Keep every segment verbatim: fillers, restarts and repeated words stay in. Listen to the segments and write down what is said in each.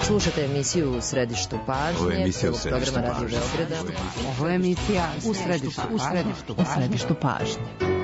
Slušate emisiju U središtu pažnje, prvog programa Radio Beograda. Ovo je emisija U središtu, u središtu, u središtu pažnje.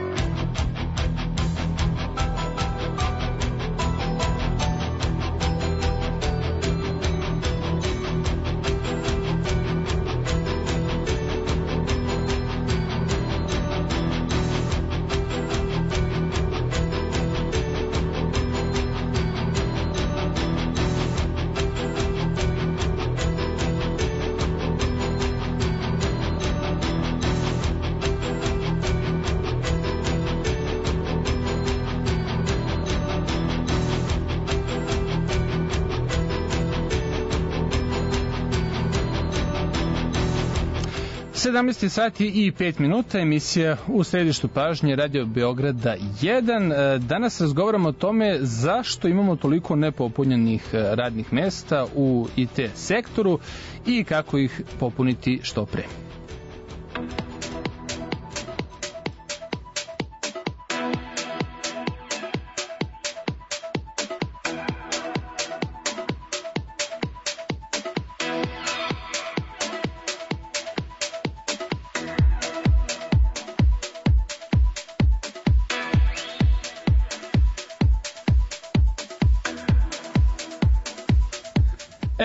sedamnaest sati i pet minuta, emisija U središtu pažnje, Radio Beograda jedan. Danas razgovaramo o tome zašto imamo toliko nepopunjenih radnih mesta u I T sektoru i kako ih popuniti što pre.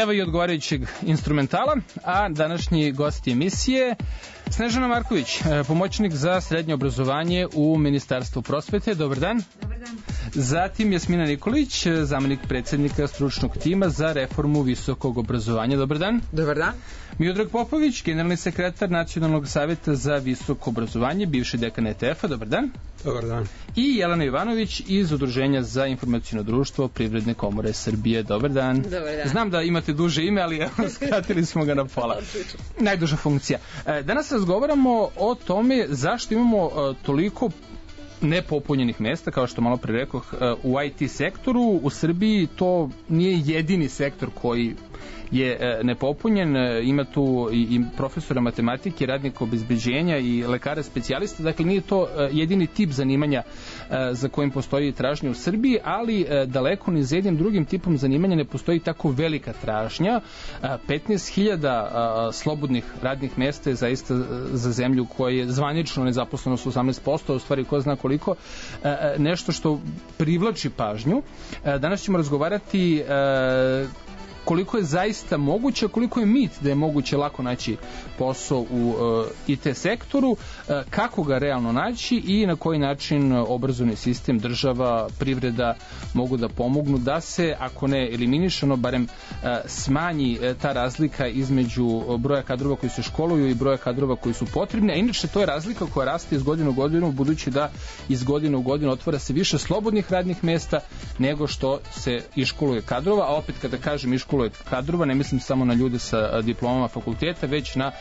Evo i odgovarajućeg instrumentala, a današnji gost emisije Snežana Marković, pomoćnik za srednje obrazovanje u Ministarstvu prosvete. Dobar dan. Dobar dan. Zatim Jasmina Nikolić, zamenik predsednika stručnog tima za reformu visokog obrazovanja. Dobar dan. Dobar dan. Miodrag Popović, generalni sekretar Nacionalnog saveta za visoko obrazovanje, bivši dekan E T F-a. Dobar dan. Dobar dan. I Jelena Ivanović iz Udruženja za informaciono društvo Privredne komore Srbije. Dobar dan. Dobar dan. Znam da imate duže ime, ali skratili smo ga na pola. Najduža funkcija. Danas razgovaramo o tome zašto imamo toliko nepopunjenih mesta, kao što malo pre rekoh, u I T sektoru. U Srbiji to nije jedini sektor koji je nepopunjen, ima tu i profesora matematike, radnika obezbeđenja i lekara specijalista, dakle nije to jedini tip zanimanja za kojim postoji tražnja u Srbiji, ali daleko ni za jednim drugim tipom zanimanja ne postoji tako velika tražnja. petnaest hiljada slobodnih radnih mesta je zaista za zemlju koja je zvanično nezaposlenost osamnaest posto, u stvari ko zna koliko, nešto što privlači pažnju. Danas ćemo razgovarati koliko je zaista moguće, koliko je mit da je moguće lako naći posao u uh, I T sektoru, uh, kako ga realno naći i na koji način obrazovni sistem, država, privreda mogu da pomognu da se, ako ne eliminišano, barem uh, smanji uh, ta razlika između broja kadrova koji se školuju i broja kadrova koji su potrebni, a inače to je razlika koja raste iz godine u godinu, budući da iz godine u godinu otvara se više slobodnih radnih mesta nego što se iškoluje kadrova, a opet kada kažem iškoluje kadrova, ne mislim samo na ljude sa diplomama fakulteta, već na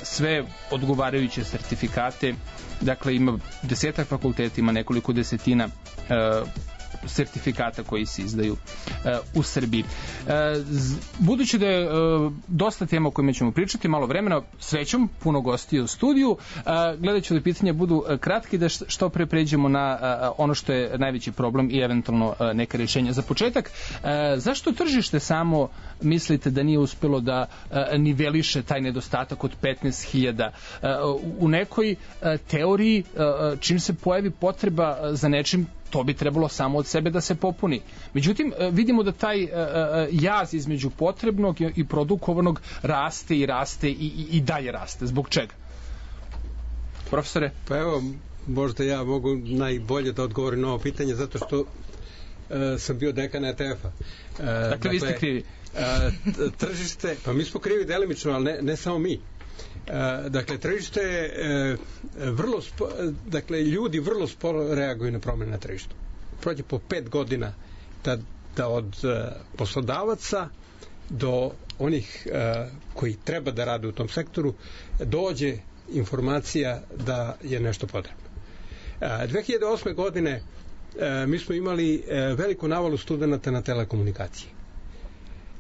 sve odgovarajuće sertifikate. Dakle, ima desetak fakulteta, ima nekoliko desetina sertifikata koji se izdaju uh, u Srbiji. Uh, budući da je uh, dosta tema o kojima ćemo pričati, malo vremena, srećom, puno gostiju u studiju, uh, gledat ću da pitanja budu uh, kratki, da što pre pređemo na uh, ono što je najveći problem i eventualno uh, neka rješenja. Za početak, uh, zašto tržište samo mislite da nije uspelo da uh, niveliše taj nedostatak od petnaest hiljada? Uh, u nekoj uh, teoriji, uh, čim se pojavi potreba za nečim, to bi trebalo samo od sebe da se popuni. Međutim, vidimo da taj jaz između potrebnog i produkovanog raste i raste i, i, i dalje raste. Zbog čega? Profesore? Pa evo, možda ja mogu najbolje da odgovorim na ovo pitanje, zato što uh, sam bio dekan E T F-a. Uh, dakle, dakle, vi ste krivi. Uh, tržište, pa mi smo krivi delimično, ali ne, ne samo mi. Uh, dakle, tržište je uh, vrlo spo, dakle, ljudi vrlo sporo reaguju na promjene na tržištu. Prođe po pet godina da, da od uh, poslodavaca do onih uh, koji treba da rade u tom sektoru dođe informacija da je nešto potrebno. Uh, dve hiljade osme godine uh, mi smo imali uh, veliku navalu studenta na telekomunikacije.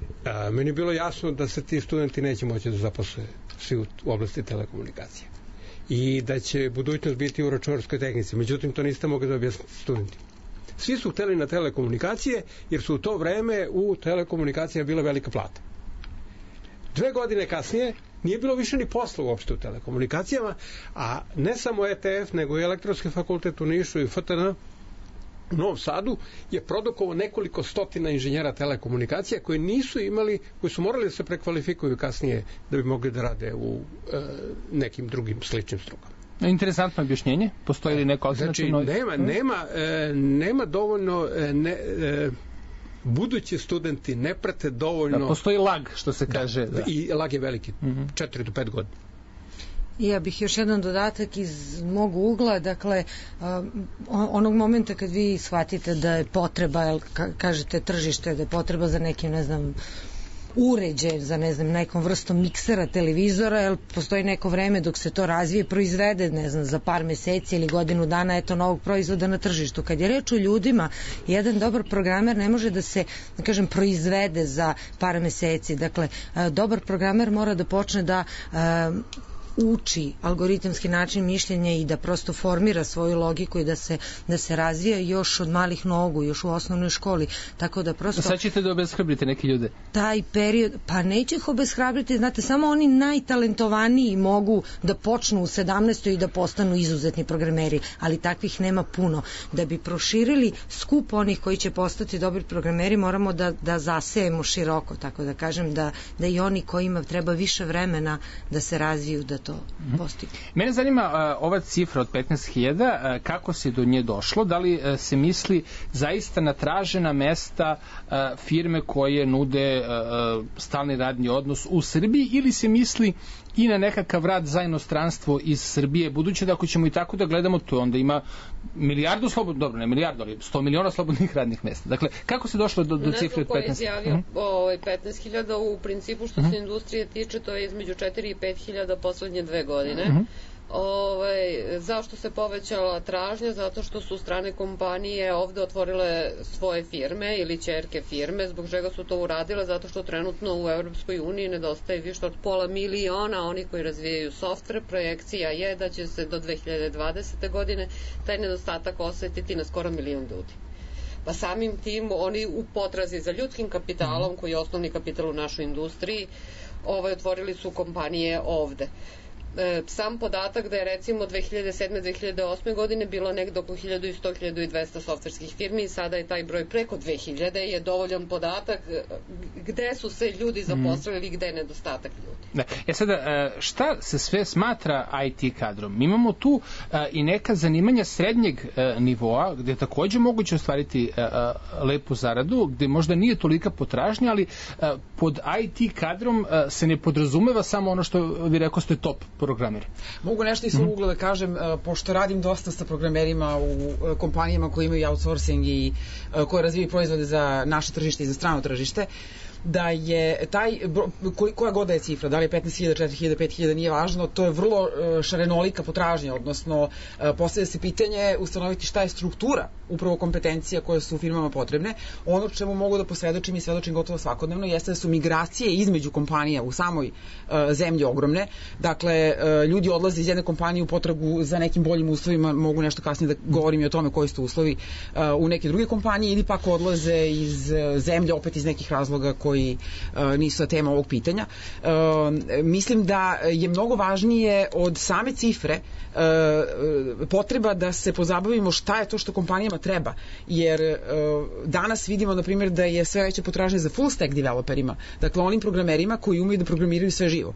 Uh, meni je bilo jasno da se ti studenti neće moći da zaposle svi u oblasti telekomunikacije i da će budućnost biti u računarskoj tehnici. Međutim, to niste mogli da objasniti studentima. svi su hteli na telekomunikacije, jer su u to vreme u telekomunikacijama bila velika plata. Dve godine kasnije nije bilo više ni posla uopšte u telekomunikacijama, a ne samo E T F, nego i Elektronski fakultet u Nišu i F T N u Novom Sadu je produkovao nekoliko stotina inženjera telekomunikacija koji nisu imali, koji su morali da se prekvalifikuju kasnije da bi mogli da rade u e, nekim drugim sličnim strukama. Interesantno objašnjenje. Postoji li neko alternativno? Znači, nema, nema, e, nema dovoljno e, ne, e, budući studenti ne prate dovoljno... Da, postoji lag, što se kaže. Da, da. I lag je veliki, četiri do pet godina. Ja bih još jedan dodatak iz mog ugla, dakle, onog momenta kad vi shvatite da je potreba, kažete tržište, da je potreba za nekim, ne znam, uređaj, za ne znam, nekom vrstom miksera, televizora, jer postoji neko vreme dok se to razvije, proizvede, ne znam, za par meseci ili godinu dana, eto, novog proizvoda na tržištu. Kad je reč o ljudima, jedan dobar programer ne može da se, da kažem, proizvede za par meseci. Dakle, dobar programer mora da počne da uči algoritamski način mišljenja i da prosto formira svoju logiku i da se, da se razvija još od malih nogu, još u osnovnoj školi. Tako da prosto... Sad ćete da obeshrabrite neke ljude? Taj period, pa neće ih obeshrabriti, znate, samo oni najtalentovaniji mogu da počnu u sedamnaestoj i da postanu izuzetni programeri, ali takvih nema puno. Da bi proširili skup onih koji će postati dobri programeri, moramo da, da zasejemo široko, tako da kažem, da, da i oni kojima treba više vremena da se razviju, da to postigne. Mene zanima uh, ova cifra od petnaest hiljada, uh, kako se do nje došlo, da li uh, se misli zaista na tražena mesta uh, firme koje nude uh, stalni radni odnos u Srbiji, ili se misli i na nekakav rad za inostranstvo iz Srbije, budući da ako ćemo i tako da gledamo, to onda ima milijardu slobodnih, dobro, ne milijardu, ali sto miliona slobodnih radnih mesta. Dakle, kako se došlo do, do cifre od petnaest hiljada? Ne znam ko je izjavio petnaest hiljada, u principu što se industrije tiče, to je između četiri i pet hiljada poslednje dve godine. Uh-huh. Ove, zašto se povećala tražnja? Zato što su strane kompanije ovde otvorile svoje firme ili ćerke firme. Zbog čega su to uradile? Zato što trenutno u Evropskoj uniji nedostaje više od pola miliona oni koji razvijaju softver. Projekcija je da će se do dve hiljade dvadesete godine taj nedostatak osetiti na skoro milion ljudi. Pa samim tim oni u potrazi za ljudskim kapitalom, koji je osnovni kapital u našoj industriji, ovaj, otvorili su kompanije ovde. Sam podatak da je recimo dve hiljade sedme do dve hiljade osme godine bilo negde oko hiljadu sto do hiljadu dvesta softverskih firmi i sada je taj broj preko dve hiljade, je dovoljan podatak gde su se ljudi zaposlili i gde je nedostatak ljudi. Da. E sada, šta se sve smatra I T kadrom? Mi imamo tu i neka zanimanja srednjeg nivoa, gde je takođe moguće ostvariti lepu zaradu, gde možda nije tolika potražnja, ali pod I T kadrom se ne podrazumeva samo ono što vi rekao ste top programeri. Mogu nešto iz svog ugla da kažem, pošto radim dosta sa programerima u kompanijama koji imaju outsourcing i koje razvijaju proizvode za naše tržište i za strano tržište, da je taj, koja god je cifra, da li je petnaest hiljada, četiri hiljade, pet hiljada, nije važno, to je vrlo šarenolika potražnja, odnosno postavlja se pitanje ustanoviti šta je struktura upravo kompetencija koje su firmama potrebne. Ono čemu mogu da posvedočim i svedočim gotovo svakodnevno jeste da su migracije između kompanija u samoj zemlji ogromne. Dakle, ljudi odlaze iz jedne kompanije u potragu za nekim boljim uslovima, mogu nešto kasnije da govorim i o tome koji su uslovi u neke druge kompanije, ili pak odlaze iz zemlje opet iz nekih razloga koji koji uh, nisu tema ovog pitanja. Uh, mislim da je mnogo važnije od same cifre uh, potreba da se pozabavimo šta je to što kompanijama treba. Jer uh, danas vidimo, na primjer, da je sve veća potražnja za full stack developerima, dakle onim programerima koji umeju da programiraju sve živo.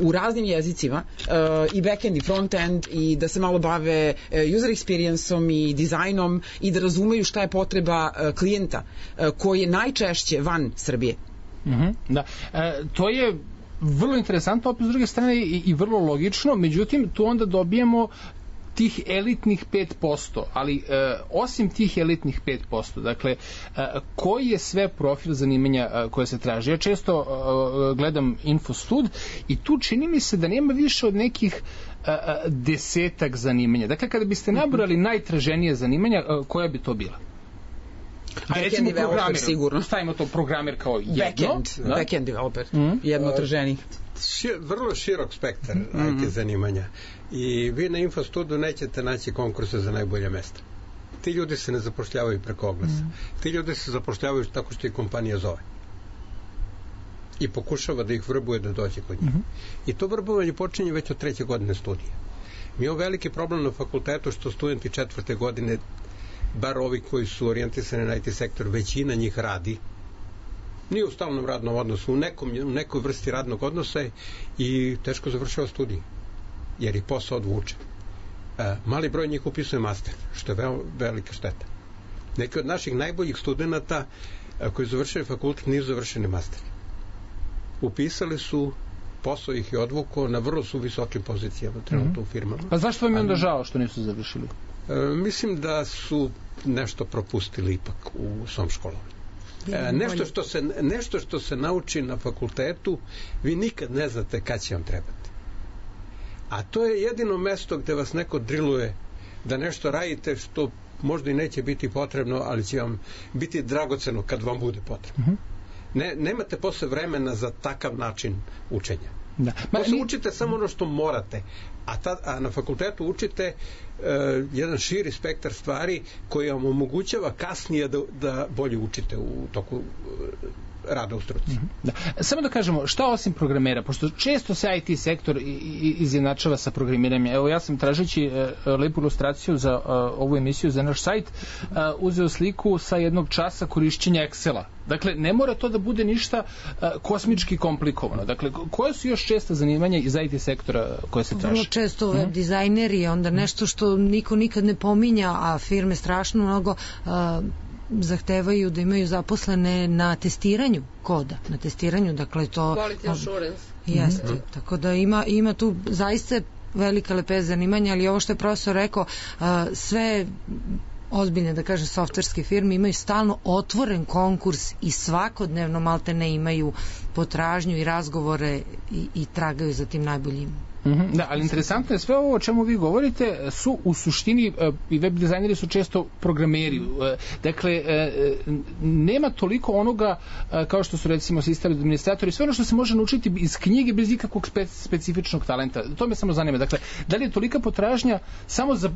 U raznim jezicima, uh, i backend i frontend, i da se malo bave uh, user experience-om i dizajnom i da razumeju šta je potreba uh, klijenta uh, koji je najčešće van Srbije. Mm-hmm, da. E, to je vrlo interesantno, opet s druge strane i, i vrlo logično, međutim tu onda dobijemo tih elitnih pet posto, ali e, osim tih elitnih pet posto, dakle, e, koji je sve profil zanimanja e, koje se traži? Ja često e, gledam Infostud i tu čini mi se da nema više od nekih e, desetak zanimanja. Dakle, kada biste nabrali najtraženije zanimanja, e, koja bi to bila? A recimo programer, sigurno. Stavimo to programer kao jedno. Backend, da? Backend developer, mm. jedno traženih. Šir, vrlo širok spektar mm-hmm. I T zanimanja. I vi na Infostudu nećete naći konkurse za najbolje mesta. Ti ljudi se ne zapošljavaju preko oglasa. Mm. Ti ljudi se zapošljavaju tako što ih kompanija zove. I pokušava da ih vrbuje da dođe kod njih. Mm-hmm. I to vrbovanje počinje već od treće godine studija. Mi imamo veliki problem na fakultetu što studenti četvrte godine, bar ovi koji su orijentisani na I T sektor, većina njih radi. Nije u stalnom radnom odnosu, u, nekom, u nekoj vrsti radnog odnosa i teško završava studij. Jer i posao odvuče. E, mali broj njih upisuje master, što je vel, velika šteta. Neki od naših najboljih studenta koji završili fakultet nisu završeni master. Upisali su, posao ih je odvukao, na vrlo su visokim pozicijama trenutno mm-hmm. u firmama. Pa zašto vam je onda žao što nisu završili? E, mislim da su nešto propustili ipak u svom školovanju. E, nešto, što se, nešto što se nauči na fakultetu, vi nikad ne znate kad će vam trebati. A to je jedino mesto gde vas neko driluje da nešto radite što možda i neće biti potrebno, ali će vam biti dragoceno kad vam bude potrebno. Mm-hmm. Ne, nemate posle vremena za takav način učenja. Da. Posle mi... učite samo ono što morate, a, ta, a na fakultetu učite uh, jedan širi spektar stvari koji vam omogućava kasnije da, da bolje učite u toku uh, rada u struci. Mm-hmm. Da. Samo da kažemo, šta osim programera, pošto često se I T sektor izjednačava sa programiranjem. Evo, ja sam tražeći uh, lepu ilustraciju za uh, ovu emisiju, za naš sajt, uh, uzeo sliku sa jednog časa korišćenja Excela. Dakle, ne mora to da bude ništa uh, kosmički komplikovano. Dakle, koje su još česta zanimanja iz I T sektora koje se traže? Vrlo često web dizajneri, onda nešto što niko nikad ne pominja, a firme strašno mnogo uh, zahtevaju da imaju zaposlene na testiranju koda, na testiranju, dakle to... Quality assurance. Jeste, mm-hmm. tako da ima, ima tu zaista velika lepeza zanimanja, ali ovo što je profesor rekao, uh, sve ozbiljne, da kažem, softverske firme imaju stalno otvoren konkurs i svakodnevno malte ne imaju potražnju i razgovore i, i tragaju za tim najboljim. Mm-hmm, da, ali interesantno je sve ovo o čemu vi govorite su u suštini uh, i web dizajneri su često programeri. Uh, dakle, uh, nema toliko onoga uh, kao što su recimo sistem administratori, sve ono što se može naučiti iz knjige bez ikakvog spe, specifičnog talenta. To me samo zanima. Dakle, da li je tolika potražnja samo za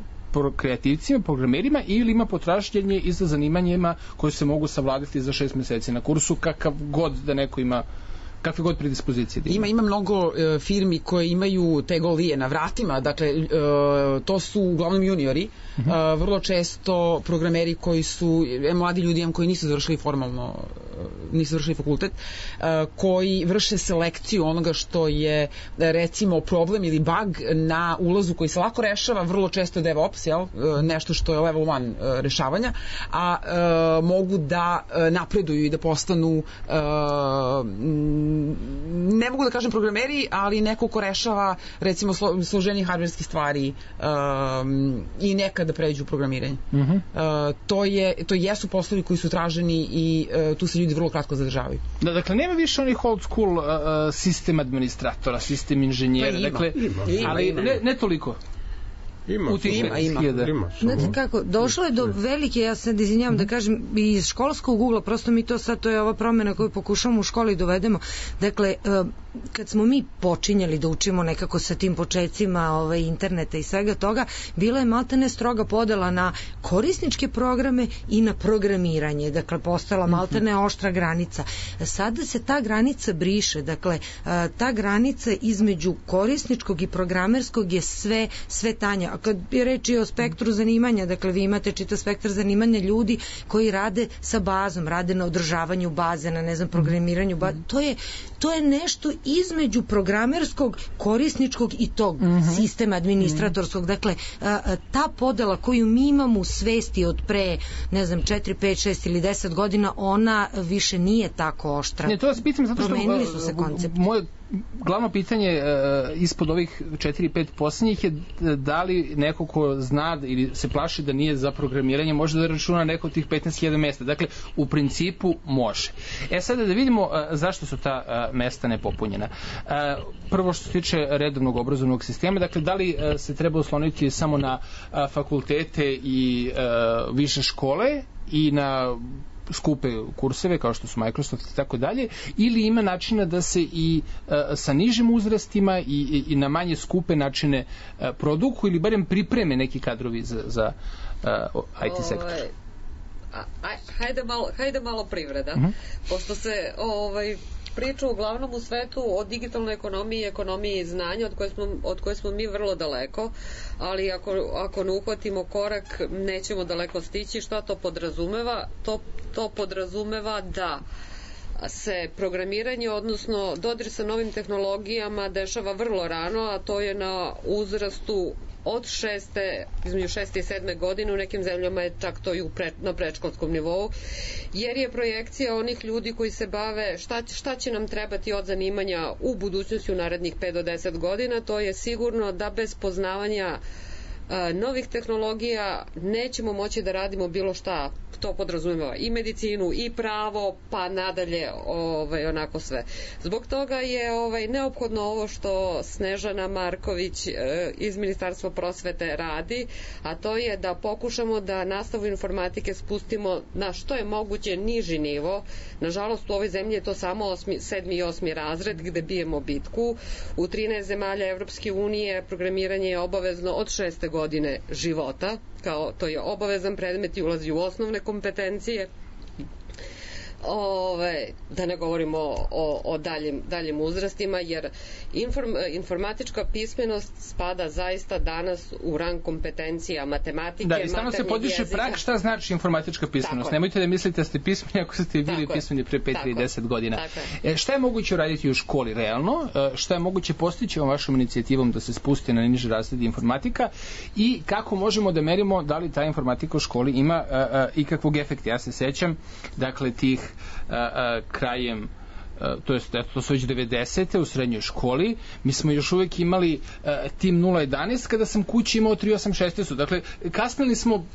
kreativcima, programerima ili ima potražnjenje i za zanimanjima koje se mogu savladati za šest meseci na kursu, kakav god da neko ima kakve god predispozicije da ima. Ima, ima mnogo e, firmi koje imaju te golije na vratima, dakle e, to su uglavnom juniori, uh-huh. e, vrlo često programeri koji su, e, mladi ljudi koji nisu završili formalno, nisu završili fakultet, e, koji vrše selekciju onoga što je recimo problem ili bug na ulazu koji se lako rešava, vrlo često DevOps, jel? E, nešto što je level one e, rešavanja, a e, mogu da e, napreduju i da postanu e, ne mogu da kažem programeri, ali neko ko rešava recimo slo, složenije hardverskih stvari um, i nekada pređu u programiranje. Uh-huh. Uh, to, je, to jesu poslovi koji su traženi i uh, tu se ljudi vrlo kratko zadržavaju. Da, dakle, nema više onih old school uh, sistem administratora, sistem inženjera. Pa ima, dakle, ima, ali ima. Ne, ne toliko. Ima, ima, ima. ima Znate kako, došlo je do velike, ja se izvinjavam mm-hmm. da kažem, iz školskog ugla, prosto mi to sad, to je ova promjena koju pokušamo u školi dovedemo. Dakle, kad smo mi počinjali da učimo nekako sa tim početcima ovaj, interneta i svega toga, bila je maltene stroga podela na korisničke programe i na programiranje. Dakle, postala maltene oštra granica. Sada se ta granica briše. Dakle, ta granica između korisničkog i programerskog je sve, sve tanja. A kad je reči o spektru zanimanja, dakle, vi imate čitav spektar zanimanja ljudi koji rade sa bazom, rade na održavanju baze, na, ne znam, programiranju baze. To je, to je nešto između programerskog, korisničkog i tog uh-huh. sistema administratorskog. Dakle, ta podela koju mi imamo u svesti od pre, ne znam, četiri, pet, šest ili deset godina, ona više nije tako oštra. Ne, to vas pitam zato što promenili su se koncepti. Moje glavno pitanje uh, ispod ovih četiri pet posljednjih je da li neko ko zna ili se plaši da nije za programiranje može da računa neko od tih petnaest hiljada mesta. Dakle, u principu može. E sada da vidimo uh, zašto su ta uh, mesta nepopunjena. Uh, prvo što se tiče redovnog obrazovnog sistema, dakle, da li uh, se treba osloniti samo na uh, fakultete i uh, više škole i na skupe kurseve kao što su Microsoft i tako dalje, ili ima načina da se i uh, sa nižim uzrastima i, i, i na manje skupe načine uh, produku ili barem pripreme neki kadrovi za, za uh, I T sektor? Ovaj, a, hajde, malo, hajde malo privreda, uh-huh. pošto se ovaj, priča uglavnom u svetu o digitalnoj ekonomiji i ekonomiji znanja od koje smo, od koje smo mi vrlo daleko, ali ako, ako ne uhvatimo korak nećemo daleko stići. Šta to podrazumeva? To, to podrazumeva da se programiranje, odnosno dodir sa novim tehnologijama dešava vrlo rano, a to je na uzrastu od šeste, između šeste i sedme godine, u nekim zemljama je čak to i u pre, na predškolskom nivou, jer je projekcija onih ljudi koji se bave šta, šta će nam trebati od zanimanja u budućnosti u narednih pet do deset godina, to je sigurno da bez poznavanja a, novih tehnologija nećemo moći da radimo bilo šta. To podrazumeva i medicinu i pravo, pa nadalje ovaj, onako sve. Zbog toga je ovaj, neophodno ovo što Snežana Marković e, iz Ministarstva prosvete radi, a to je da pokušamo da nastavu informatike spustimo na što je moguće niži nivo. Nažalost, u ovoj zemlji je to samo osmi, sedmi i osmi razred gde bijemo bitku. U trinaest zemalja Evropske unije programiranje je obavezno od šeste godine života, kao to je obavezan predmet i ulazi u osnovne kompetencije. Ove, da ne govorimo o, o daljim, daljim uzrastima, jer inform, informatička pismenost spada zaista danas u rang kompetencija matematike, da, i stalno se podiže prag šta znači informatička pismenost. Nemojte da mislite da ste pismeni ako ste bili pismeni pre pet ili deset godina. E, šta je moguće uraditi u školi realno? E, šta je moguće postići ovom vašom inicijativom da se spusti na niže razrede informatika i kako možemo da merimo da li ta informatika u školi ima a, a, ikakvog efekta? Ja se sećam, dakle, tih a, a, krajem to jest, to su već devedesete u srednjoj školi, mi smo još uvek imali uh, tim nula jedanaest kada sam kući imao tri osam šest. Dakle, kasnili smo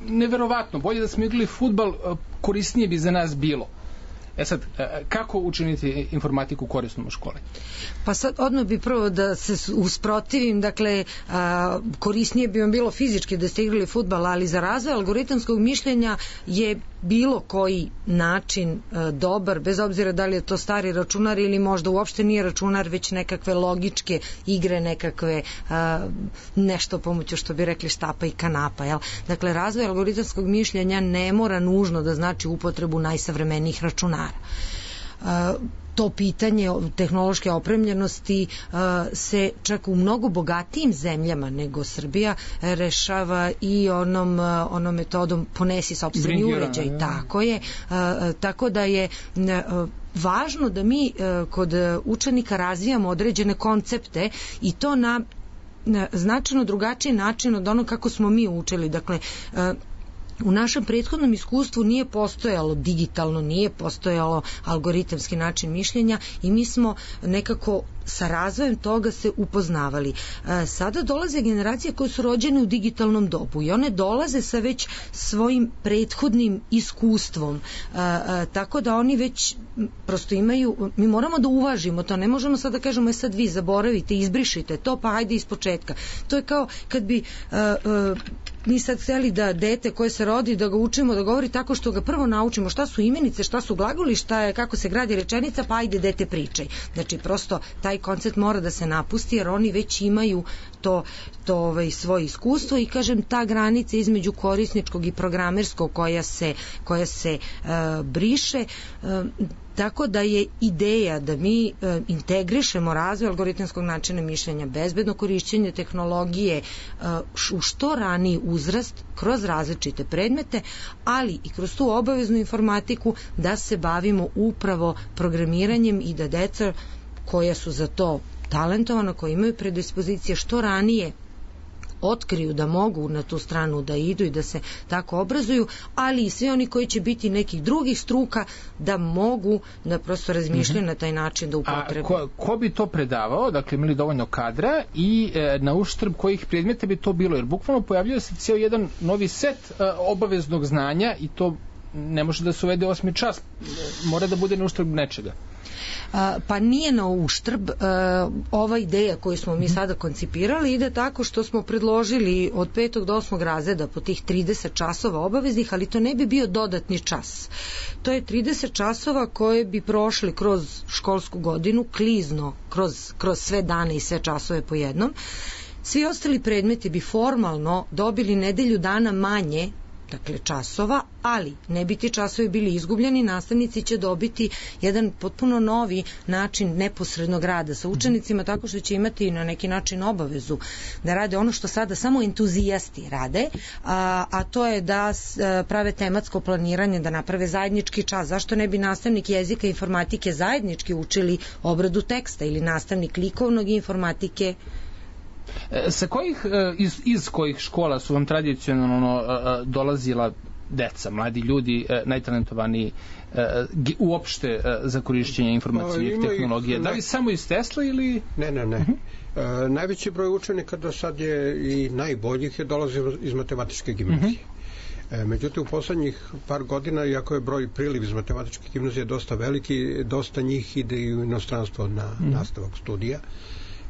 neverovatno, bolje da smo igrali fudbal, uh, korisnije bi za nas bilo. E sad, kako učiniti informatiku korisnom u školi? Pa sad odmah bi prvo da se usprotivim, dakle, a, korisnije bi vam bilo fizički da ste igrali fudbal, ali za razvoj algoritamskog mišljenja je bilo koji način a, dobar, bez obzira da li je to stari računar ili možda uopšte nije računar, već nekakve logičke igre, nekakve a, nešto pomoću, što bi rekli, štapa i kanapa. Jel? Dakle, razvoj algoritamskog mišljenja ne mora nužno da znači upotrebu najsavremenijih računara. Uh, to pitanje tehnološke opremljenosti uh, se čak u mnogo bogatijim zemljama nego Srbija rešava i onom, uh, onom metodom ponesi sopstveni uređaj. Ja. Tako je. Uh, tako da je uh, važno da mi uh, kod učenika razvijamo određene koncepte i to na, na značajno drugačiji način od onog kako smo mi učili. Dakle, uh, u našem prethodnom iskustvu nije postojalo digitalno, nije postojalo algoritamski način mišljenja i mi smo nekako sa razvojem toga se upoznavali. Sada dolaze generacije koje su rođene u digitalnom dobu i one dolaze sa već svojim prethodnim iskustvom, tako da oni već prosto imaju, mi moramo da uvažimo to, ne možemo sad da kažemo, je sad vi zaboravite, izbrišite to, pa ajde iz početka. To je kao kad bi mi sad hteli da dete koje se rodi, da ga učimo da govori tako što ga prvo naučimo šta su imenice, šta su glagoli, šta je, kako se gradi rečenica, pa ajde dete pričaj. Znači prosto taj koncept mora da se napusti jer oni već imaju to, to ovaj, svoje iskustvo i kažem ta granica između korisničkog i programerskog koja se, koja se uh, briše, uh, tako da je ideja da mi uh, integrišemo razvoj algoritamskog načina mišljenja, bezbedno korišćenje tehnologije uh, u što raniji uzrast kroz različite predmete, ali i kroz tu obaveznu informatiku da se bavimo upravo programiranjem i da deca koja su za to talentovana, koja imaju predispozicije što ranije otkriju da mogu na tu stranu da idu i da se tako obrazuju, ali i svi oni koji će biti nekih drugih struka da mogu da prosto razmišljaju mm-hmm. na taj način da upotrebu. A ko, ko bi to predavao? Dakle, imali dovoljno kadra i e, na uštrb kojih predmeta bi to bilo? Jer bukvalno pojavljuje se cijel jedan novi set e, obaveznog znanja i to ne može da se uvede osmi čas, mora da bude na uštrb nečega. A, pa nije na uštrb. A, ova ideja koju smo mi sada koncipirali ide tako što smo predložili od petog do osmog razreda po tih trideset časova obaveznih, ali to ne bi bio dodatni čas. To je trideset časova koje bi prošli kroz školsku godinu, klizno, kroz, kroz sve dane i sve časove po jednom, Svi ostali predmeti bi formalno dobili nedelju dana manje, dakle časova, ali ne bi ti časovi bili izgubljeni, nastavnici će dobiti jedan potpuno novi način neposrednog rada sa učenicima, tako što će imati na neki način obavezu da rade ono što sada samo entuzijasti rade, a, a to je da prave tematsko planiranje, da naprave zajednički čas. Zašto ne bi nastavnik jezika i informatike zajednički učili obradu teksta ili nastavnik likovnog i informatike? Sa kojih, iz, iz kojih škola su vam tradicionalno dolazila deca, mladi ljudi, najtalentovaniji uopšte za korišćenje informacijnih tehnologija? Da li samo iz Tesla ili... Ne, ne, ne. Uh-huh. Najveći broj učenika do sad je i najboljih je dolazilo iz matematičke gimnazije. Uh-huh. Međutim, u poslednjih par godina, iako je broj priliv iz matematičke gimnazije dosta veliki, dosta njih ide i u inostranstvo na uh-huh. nastavak studija,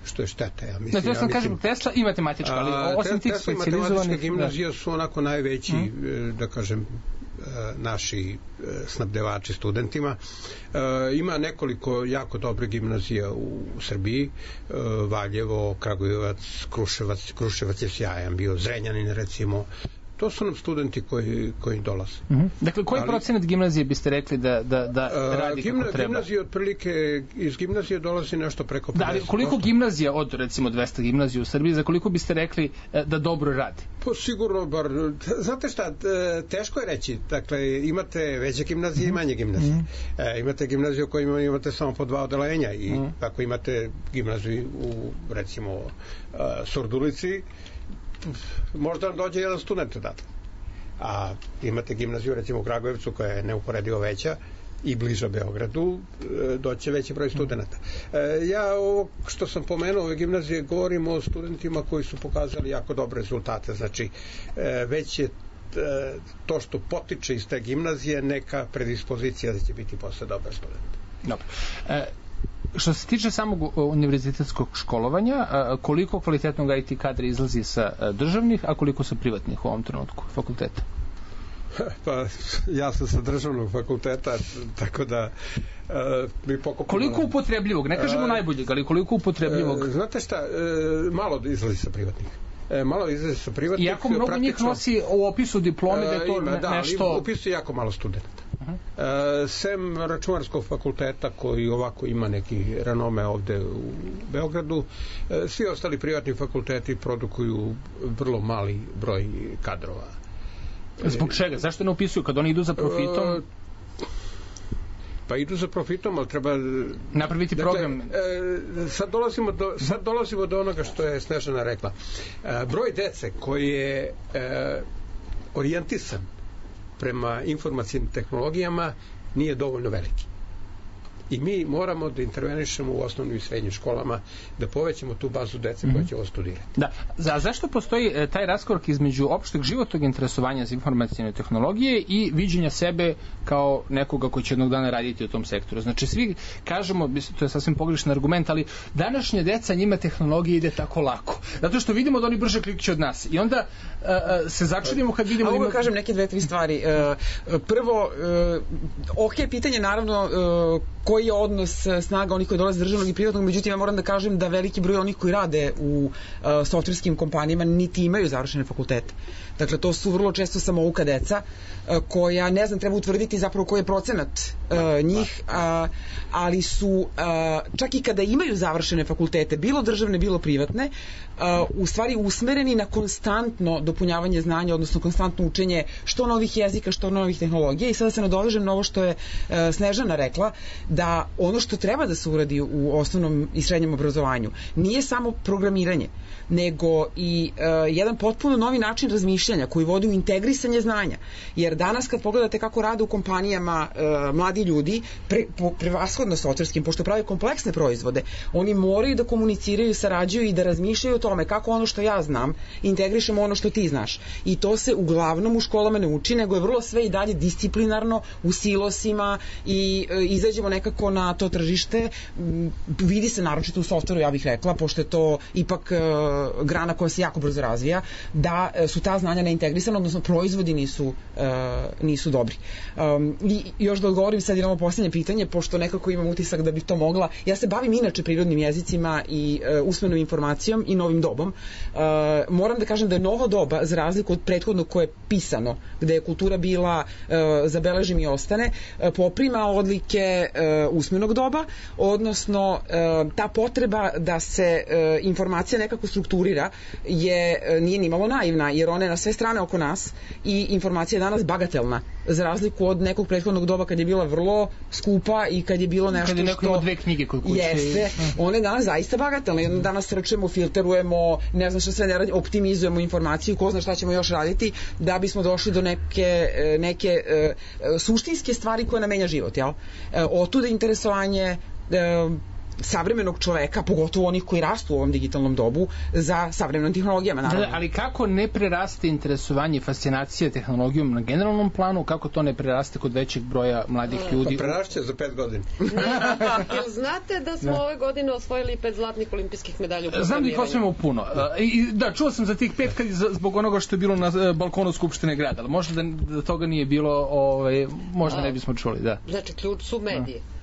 što je šteta, ja mislim. Znači, ja sam kažem Tesla i matematička, ali osim tih Tesla i matematička gimnazija su onako najveći, mm. da kažem, naši snabdevači studentima. Ima nekoliko jako dobre gimnazija u Srbiji, Valjevo, Kragujevac, Kruševac, Kruševac je sjajan bio, Zrenjanin recimo. To su nam studenti koji, koji dolaze. Mm-hmm. Dakle, koji Ali, procenat gimnazije biste rekli da, da, da radi gimna, kako treba? Gimnazije otprilike, iz gimnazije dolazi nešto preko pedeset posto. Da, koliko gimnazija od recimo dvesta gimnazija u Srbiji, za koliko biste rekli da dobro radi? Pa sigurno, bar, znate šta, teško je reći. Dakle, imate veće gimnazije mm-hmm. i manje gimnazije. Mm-hmm. E, imate gimnaziju u kojima imate samo po dva odelenja i mm-hmm. ako imate gimnaziju u, recimo, uh, Surdulici, možda vam dođe jedan student odatle. A imate gimnaziju recimo u Kragujevcu koja je neuporedivo veća i bliža Beogradu, doće veći broj studenta. Ja ovo što sam pomenuo ove gimnazije govorim o studentima koji su pokazali jako dobre rezultate. Znači već je to što potiče iz te gimnazije neka predispozicija da će biti posle dobar student. Dobro. E, Što se tiče samog univerzitetskog školovanja, koliko kvalitetnog I T kadra izlazi sa državnih, a koliko sa privatnih u ovom trenutku fakulteta? Pa, ja sam sa državnog fakulteta, tako da uh, mi pokupimo... Koliko upotrebljivog? Ne kažemo uh, najboljeg, ali koliko upotrebljivog? Uh, znate šta, uh, malo izlazi sa privatnih. E, malo izlazi sa privatnih. Iako mnogo praktično, njih nosi u opisu diplome da je to ima, da, nešto... Da, ali upisuje jako malo studenta. Uh-huh. Uh, sem računarskog fakulteta koji ovako ima neki renome ovde u Beogradu, uh, svi ostali privatni fakulteti produkuju vrlo mali broj kadrova. Zbog čega? Zašto ne upisuju? Kad oni idu za profitom? Uh, pa idu za profitom, ali treba napraviti dakle, program. E, sad, dolazimo do, sad dolazimo do onoga što je Snežana rekla. E, broj dece koji je e, orijentisan prema informacijnim tehnologijama nije dovoljno veliki. I mi moramo da intervenišemo u osnovnim i srednjim školama da povećamo tu bazu dece koja će ovo studirati. Da. Za, zašto postoji e, taj raskorak između opšteg životnog interesovanja za informacijne tehnologije i viđenja sebe kao nekoga koji će jednog dana raditi u tom sektoru? Znači, svi kažemo, to je sasvim pogrešan argument, ali današnje deca, njima tehnologija ide tako lako. Zato što vidimo da oni brže klikću od nas. I onda e, se začudimo kad vidimo... A ovo kažem neke dve, tri stvari. E, prvo, e, ok, pitanje naravno e, koji je odnos snaga onih koji dolaze državnog i privatnog, međutim ja moram da kažem da veliki broj onih koji rade u uh, softverskim kompanijama niti imaju završene fakultete. Dakle, to su vrlo često samouka deca uh, koja, ne znam, treba utvrditi zapravo koji je procenat uh, njih, uh, ali su uh, čak i kada imaju završene fakultete, bilo državne, bilo privatne, uh, u stvari usmereni na konstantno dopunjavanje znanja, odnosno konstantno učenje što novih jezika, što novih tehnologija. I sada se nadovežem na ovo što je uh, Snežana rekla, da ono što treba da se uradi u osnovnom i srednjem obrazovanju nije samo programiranje, nego i uh, jedan potpuno novi način razmišljanja koji vodi u integrisanje znanja. Jer danas kad pogledate kako rade u kompanijama uh, mladi ljudi, pre, po, prevashodno softverskim, pošto prave kompleksne proizvode, oni moraju da komuniciraju, sarađuju i da razmišljaju o tome kako ono što ja znam integrišemo ono što ti znaš. I to se uglavnom u školama ne uči, nego je vrlo sve i dalje disciplinarno u silosima i uh, izađemo nekako svakako na to tržište, vidi se naročito u softveru, ja bih rekla, pošto je to ipak grana koja se jako brzo razvija, da su ta znanja neintegrisana, odnosno proizvodi nisu, nisu dobri. I još da odgovorim sad jedno posljednje pitanje, pošto nekako imam utisak da bih to mogla. Ja se bavim inače prirodnim jezicima i usmenom informacijom i novim dobom. Moram da kažem da je novo doba, za razliku od prethodnog koje je pisano, gde je kultura bila zabeležim i ostane, poprima odlike usmenog doba, odnosno ta potreba da se informacija nekako strukturira je, nije nimalo naivna, jer ona je na sve strane oko nas i informacija je danas bagatelna, za razliku od nekog prethodnog doba kad je bila vrlo skupa i kad je bilo nešto kad je neko što dve knjige kod kuće jeste, one je danas zaista bagatelne. Danas srčemo, filterujemo, ne znam šta sve ne radimo, optimizujemo informaciju, ko zna šta ćemo još raditi da bismo došli do neke, neke uh, suštinske stvari koje nam menja život, jel? Uh, otuda interesovanje uh, savremenog čoveka, pogotovo onih koji rastu u ovom digitalnom dobu, za savremenom tehnologijama, naravno. Da, ali kako ne preraste interesovanje i fascinacija tehnologijom na generalnom planu, kako to ne preraste kod većeg broja mladih ljudi? Pa prerašće za pet godina. Jel znate da smo da. ove godine osvojili pet zlatnih olimpijskih medalja u programiranju? Znam da ih osvojimo puno. I, da, čuo sam za tih pet kad, zbog onoga što je bilo na balkonu Skupštine grada, ali možda da, da toga nije bilo, ovaj, možda A, ne bismo čuli, da. Znači, ključ su medije. A.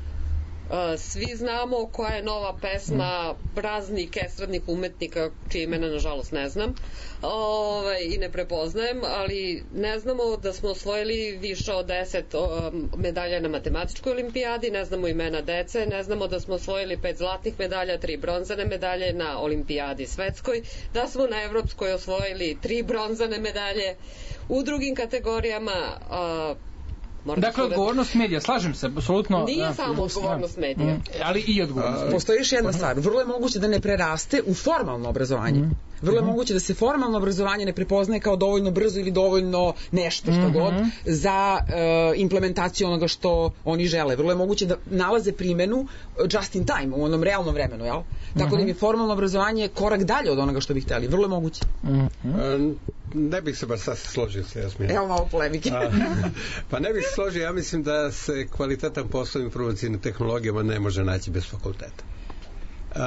Uh, svi znamo koja je nova pesma raznih estradnih umetnika čije imena nažalost ne znam Ove, i ne prepoznajem, ali ne znamo da smo osvojili više od deset um, medalja na matematičkoj olimpijadi, ne znamo imena dece, ne znamo da smo osvojili pet zlatnih medalja, tri bronzane medalje na olimpijadi svetskoj, da smo na evropskoj osvojili tri bronzane medalje. U drugim kategorijama uh, dakle, odgovornost medija, slažem se, apsolutno. Nije da, samo odgovornost medija. Mm, ali i odgovornost. Postoji još jedna stvar. Vrlo je moguće da ne preraste u formalno obrazovanje. Mm. Vrlo je mm-hmm. moguće da se formalno obrazovanje ne prepoznaje kao dovoljno brzo ili dovoljno nešto što mm-hmm. god za uh, implementaciju onoga što oni žele. Vrlo je moguće da nalaze primenu just in time, u onom realnom vremenu, jel? Tako mm-hmm. da im je formalno obrazovanje korak dalje od onoga što bi hteli. Vrlo je moguće. Mm-hmm. Ne bih se baš sad složio sa Jasminom. Evo malo polemike. Pa ne bih se složio, ja mislim da se kvalitetan posao informacijnim tehnologijama ne može naći bez fakulteta. Uh,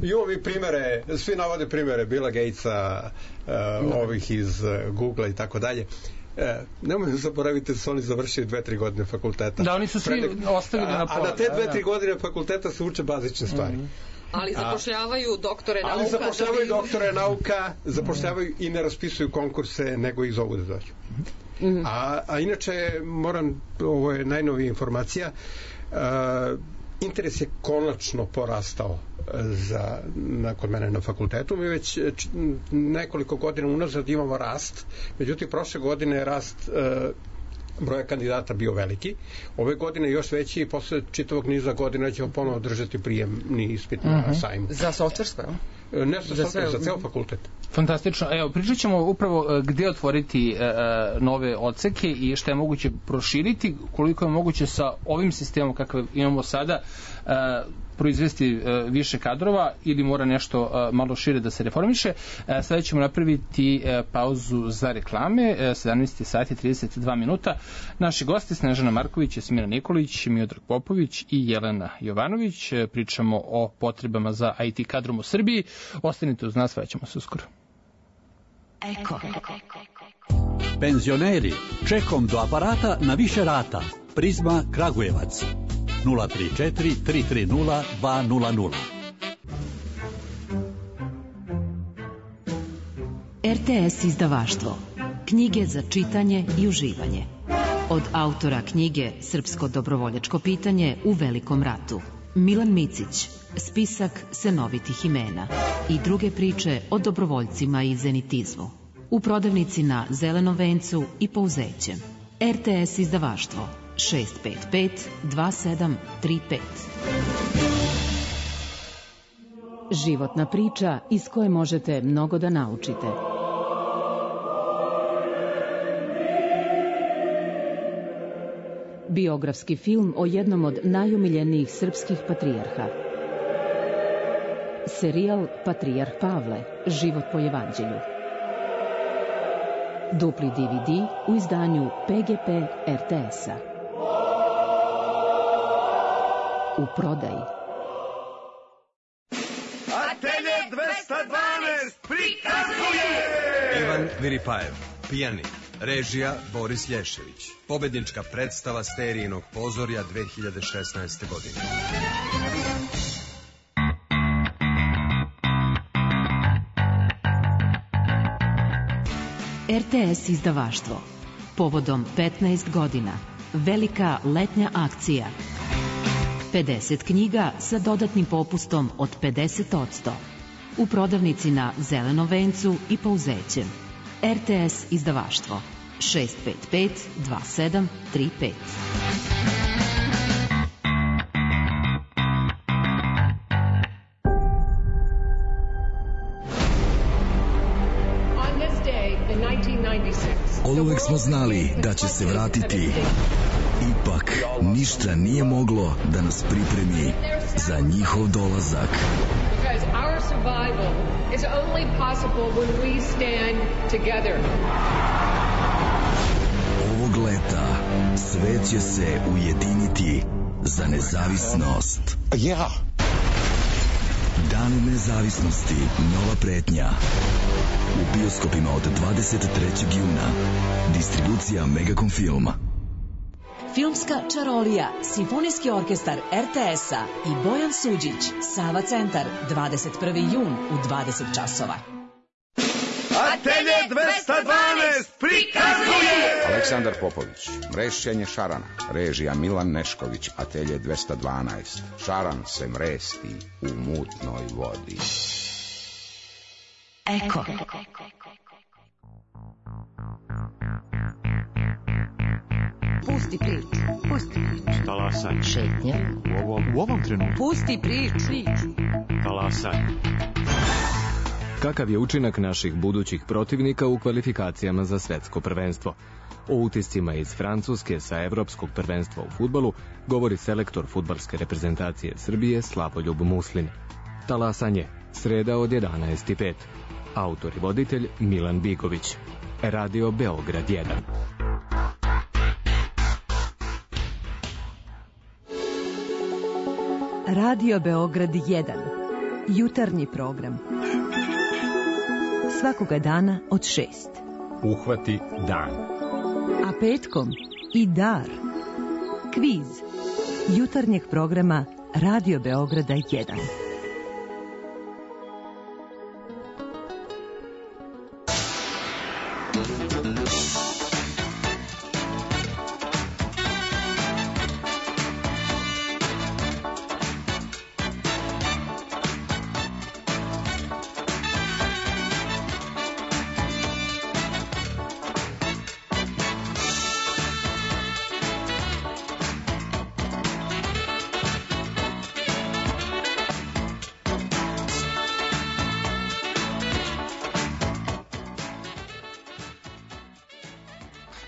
imamo mi primere, svi navode primere Billa Gatesa, uh, no. ovih iz uh, Googlea i tako dalje. Uh, nemojmo zaboraviti da su oni završili dve, tri godine fakulteta. Da, oni su svi Predek, ostavili na pola. A na te dve, tri godine fakulteta se uče bazične stvari. Mm-hmm. Ali zapošljavaju doktore nauka. Ali zapošljavaju doktore nauka, zapošljavaju i ne raspisuju konkurse, nego ih zovu da dođu. Mm-hmm. A, a inače, moram, ovo je najnovija informacija, uh, interes je konačno porastao za, na, kod mene na fakultetu. Mi već č, nekoliko godina unazad imamo rast, međutim prošle godine je rast uh, broja kandidata bio veliki. Ove godine još veći i posle čitavog niza godina ćemo ponovo držati prijemni ispit na uh-huh. sajmu. Za softversko, je? Ne za softver, za ceo fakultet. Fantastično. Evo, pričat ćemo upravo gde otvoriti e, nove odseke i šta je moguće proširiti, koliko je moguće sa ovim sistemom kakav imamo sada e, proizvesti e, više kadrova ili mora nešto e, malo šire da se reformiše. E, sada ćemo napraviti e, pauzu za reklame, e, sedamnaest sati i trideset dva minuta. Naši gosti Snežana Marković, Jasmina Nikolić, Miodrag Popović i Jelena Jovanović. E, pričamo o potrebama za I T kadrom u Srbiji. Ostanite uz nas, vraćamo se uskoro. Eko. Penzioneri, čekom do aparata na više rata. Prizma Kragujevac. nula tri četiri tri tri nula dva nula nula. R T S izdavaštvo. Knjige za čitanje i uživanje. Od autora knjige Srpsko dobrovoljačko pitanje u Velikom ratu. Milan Micić, spisak senovitih imena i druge priče o dobrovoljcima i zenitizmu. U prodavnici na Zelenom vencu i Pouzećem. R T S izdavaštvo šest pet pet dva sedam tri pet. Životna priča iz koje možete mnogo da naučite. Biografski film o jednom od najomiljenijih srpskih patrijarha. Serijal Patrijarh Pavle, život po evanđelju. Dupli D V D u izdanju P G P R T S-a. u prodaji. Atelje dvesta dvanaest prikazuje Ivan Viripajev, pijanik. Režija Boris Lješević. Pobednička predstava Sterijinog pozorja dve hiljade šesnaeste. godine. er te es izdavaštvo. Povodom petnaest godina. Velika letnja akcija. pedeset knjiga sa dodatnim popustom od pedeset posto. U prodavnici na Zelenom vencu i Pouzećem. er te es izdavaštvo šest pet pet dva sedam tri pet. Oduvek smo znali da će se vratiti. Ipak, ništa nije moglo da nas pripremi za njihov dolazak. Ovog leta svet će se ujediniti za nezavisnost. Ja. Dan nezavisnosti, nova pretnja. U bioskopima od dvadeset trećeg juna. Distribucija Megacom Filma. Filmska čarolija, Simfonijski orkestar er te es-a i Bojan Suđić, Sava centar, dvadeset prvi jun u dvadeset časova. Atelje dvesta dvanaest prikazuje Aleksandar Popović, Mrešćenje šarana, režija Milan Nešković, Atelje dvesta dvanaest. Šaran se mresti u mutnoj vodi. Eko. Pusti priču, pusti priču. Talasaj. Šetnja. U ovom, u ovom trenutku. Pusti priču. Talasaj. Kakav je učinak naših budućih protivnika u kvalifikacijama za svetsko prvenstvo? O utiscima iz Francuske sa evropskog prvenstva u fudbalu govori selektor fudbalske reprezentacije Srbije Slavoljub Muslin. Talasanje, sreda od jedanaest i pet. Autor i voditelj Milan Bigović. Radio Beograd jedan. Radio Beograd jedan. Jutarnji program. Svakoga dana od šest. Uhvati dan. A petkom i dar. Kviz. Jutarnjeg programa Radio Beograda jedan.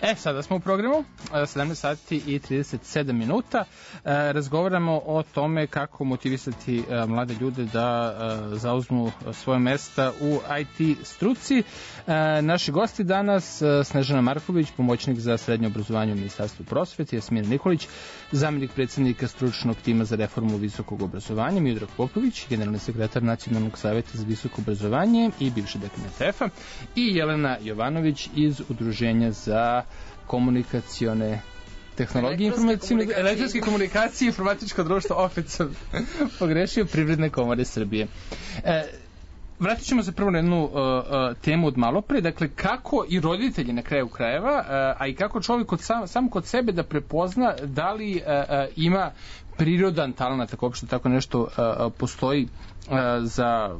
E, sada smo u programu, sedamnaest sati i trideset sedam minuta. Razgovaramo o tome kako motivisati mlade ljude da zauzmu svoje mesta u i te struci. Naši gosti danas, Snežana Marković, pomoćnik za srednje obrazovanje u Ministarstvu prosvete, Jasmina Nikolić, zamjenik predsjednika stručnog tima za reformu visokog obrazovanja, Miodrag Popović, generalni sekretar Nacionalnog savjeta za visoko obrazovanje i bivši dekan E T F-a, i Jelena Jovanović iz Udruženja za komunikacione tehnologije, elektronske komunikacije i informatičko društvo, opet sam pogrešio, Privredne komore Srbije. E, vratit ćemo se prvo na jednu uh, uh, temu od malo pre, dakle kako i roditelji na kraju krajeva, uh, a i kako čovjek kod sam, sam kod sebe da prepozna da li uh, uh, ima prirodan talent, ako uopšte tako nešto uh, postoji uh, za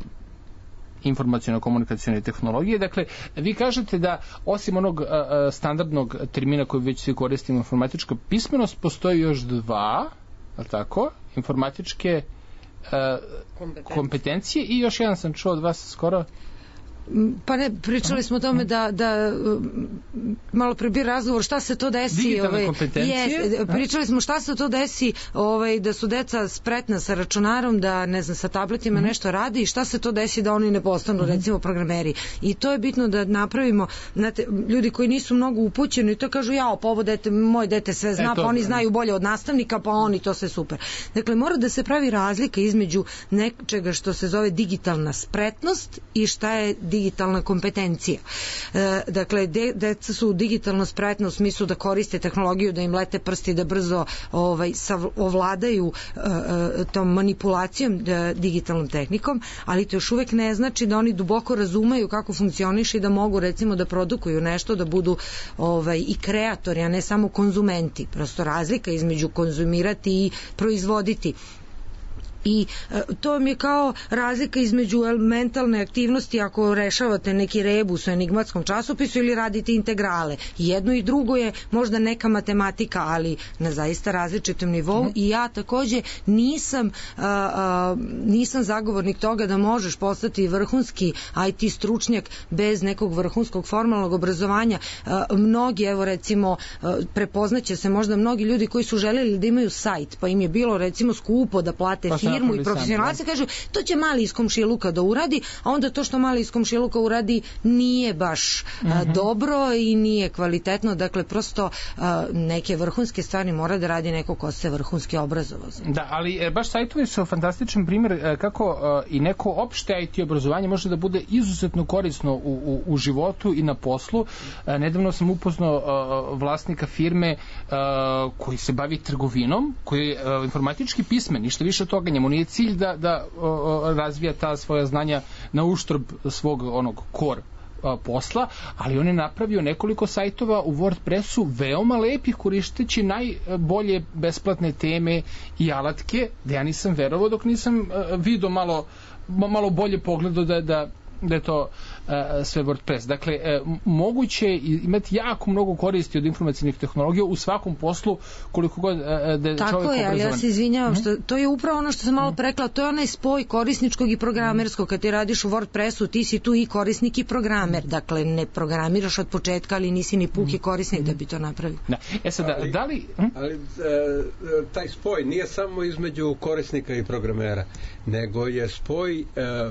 informaciono-komunikacione tehnologije. Dakle, vi kažete da osim onog uh, standardnog termina koji već svi koristimo, informatička pismenost, postoji još dva, ali tako, informatičke uh, kompetencije. kompetencije i još jedan sam čuo od vas skoro. Pa ne, pričali smo o tome da, da malo pre bio razgovor šta se to desi. Digitalne ovaj, kompetencije. Je, pričali smo šta se to desi ovaj, da su deca spretna sa računarom, da ne znam, sa tabletima mm-hmm. nešto radi i šta se to desi da oni ne postanu mm-hmm. recimo programeri. I to je bitno da napravimo, znate, ljudi koji nisu mnogo upućeni to kažu ja, pa ovo dete, moj dete sve zna, e, to, pa oni ne. znaju bolje od nastavnika, pa oni to sve super. Dakle, mora da se pravi razlika između nečega što se zove digitalna spretnost i šta je digitalna kompetencija. E, dakle, de, deca su digitalno spretna u smislu da koriste tehnologiju, da im lete prsti, da brzo ovaj, sav, ovladaju e, tom manipulacijom e, digitalnom tehnikom, ali to još uvek ne znači da oni duboko razumeju kako funkcioniše i da mogu recimo da produkuju nešto, da budu ovaj, i kreatori, a ne samo konzumenti. Prosto razlika između konzumirati i proizvoditi. I e, to mi je kao razlika između mentalne aktivnosti ako rešavate neki rebus u enigmatskom časopisu ili radite integrale. Jedno i drugo je možda neka matematika, ali na zaista različitom nivou mm-hmm. i ja takođe nisam a, a, nisam zagovornik toga da možeš postati vrhunski I T stručnjak bez nekog vrhunskog formalnog obrazovanja. A, mnogi, evo recimo, a, prepoznaće se možda mnogi ljudi koji su želeli da imaju sajt, pa im je bilo recimo skupo da plate pa firmu i profesionalci kažu to će mali iz komšiluka da uradi, a onda to što mali iz komšiluka uradi nije baš mm-hmm. a, dobro i nije kvalitetno, dakle prosto a, neke vrhunske stvari mora da radi neko ko se vrhunski obrazovao. Da, ali e, baš sajtovi su fantastičan primjer e, kako e, i neko opšte I T obrazovanje može da bude izuzetno korisno u, u, u životu i na poslu. E, nedavno sam upoznao e, vlasnika firme e, koji se bavi trgovinom, koji je e, informatički pismen, ništa više od toga, njemu nije cilj da, da o, razvija ta svoja znanja na uštrb svog onog core a, posla, ali on je napravio nekoliko sajtova u WordPressu veoma lepih koristeći najbolje besplatne teme i alatke, da ja nisam verovao dok nisam a, vidio malo, malo bolje pogledao da, da da je to uh, sve WordPress. Dakle, uh, moguće imati jako mnogo koristi od informacijnih tehnologija u svakom poslu koliko god uh, da je tako čovjek je, obrazovan. ali ja se izvinjavam, što, to je upravo ono što sam malo prekla, to je onaj spoj korisničkog i programerskog. Kad ti radiš u WordPressu, ti si tu i korisnik i programer. Dakle, ne programiraš od početka, ali nisi ni puki korisnik da bi to napravio. Da. E sad, ali, da li... Hm? Ali uh, taj spoj nije samo između korisnika i programera, nego je spoj uh,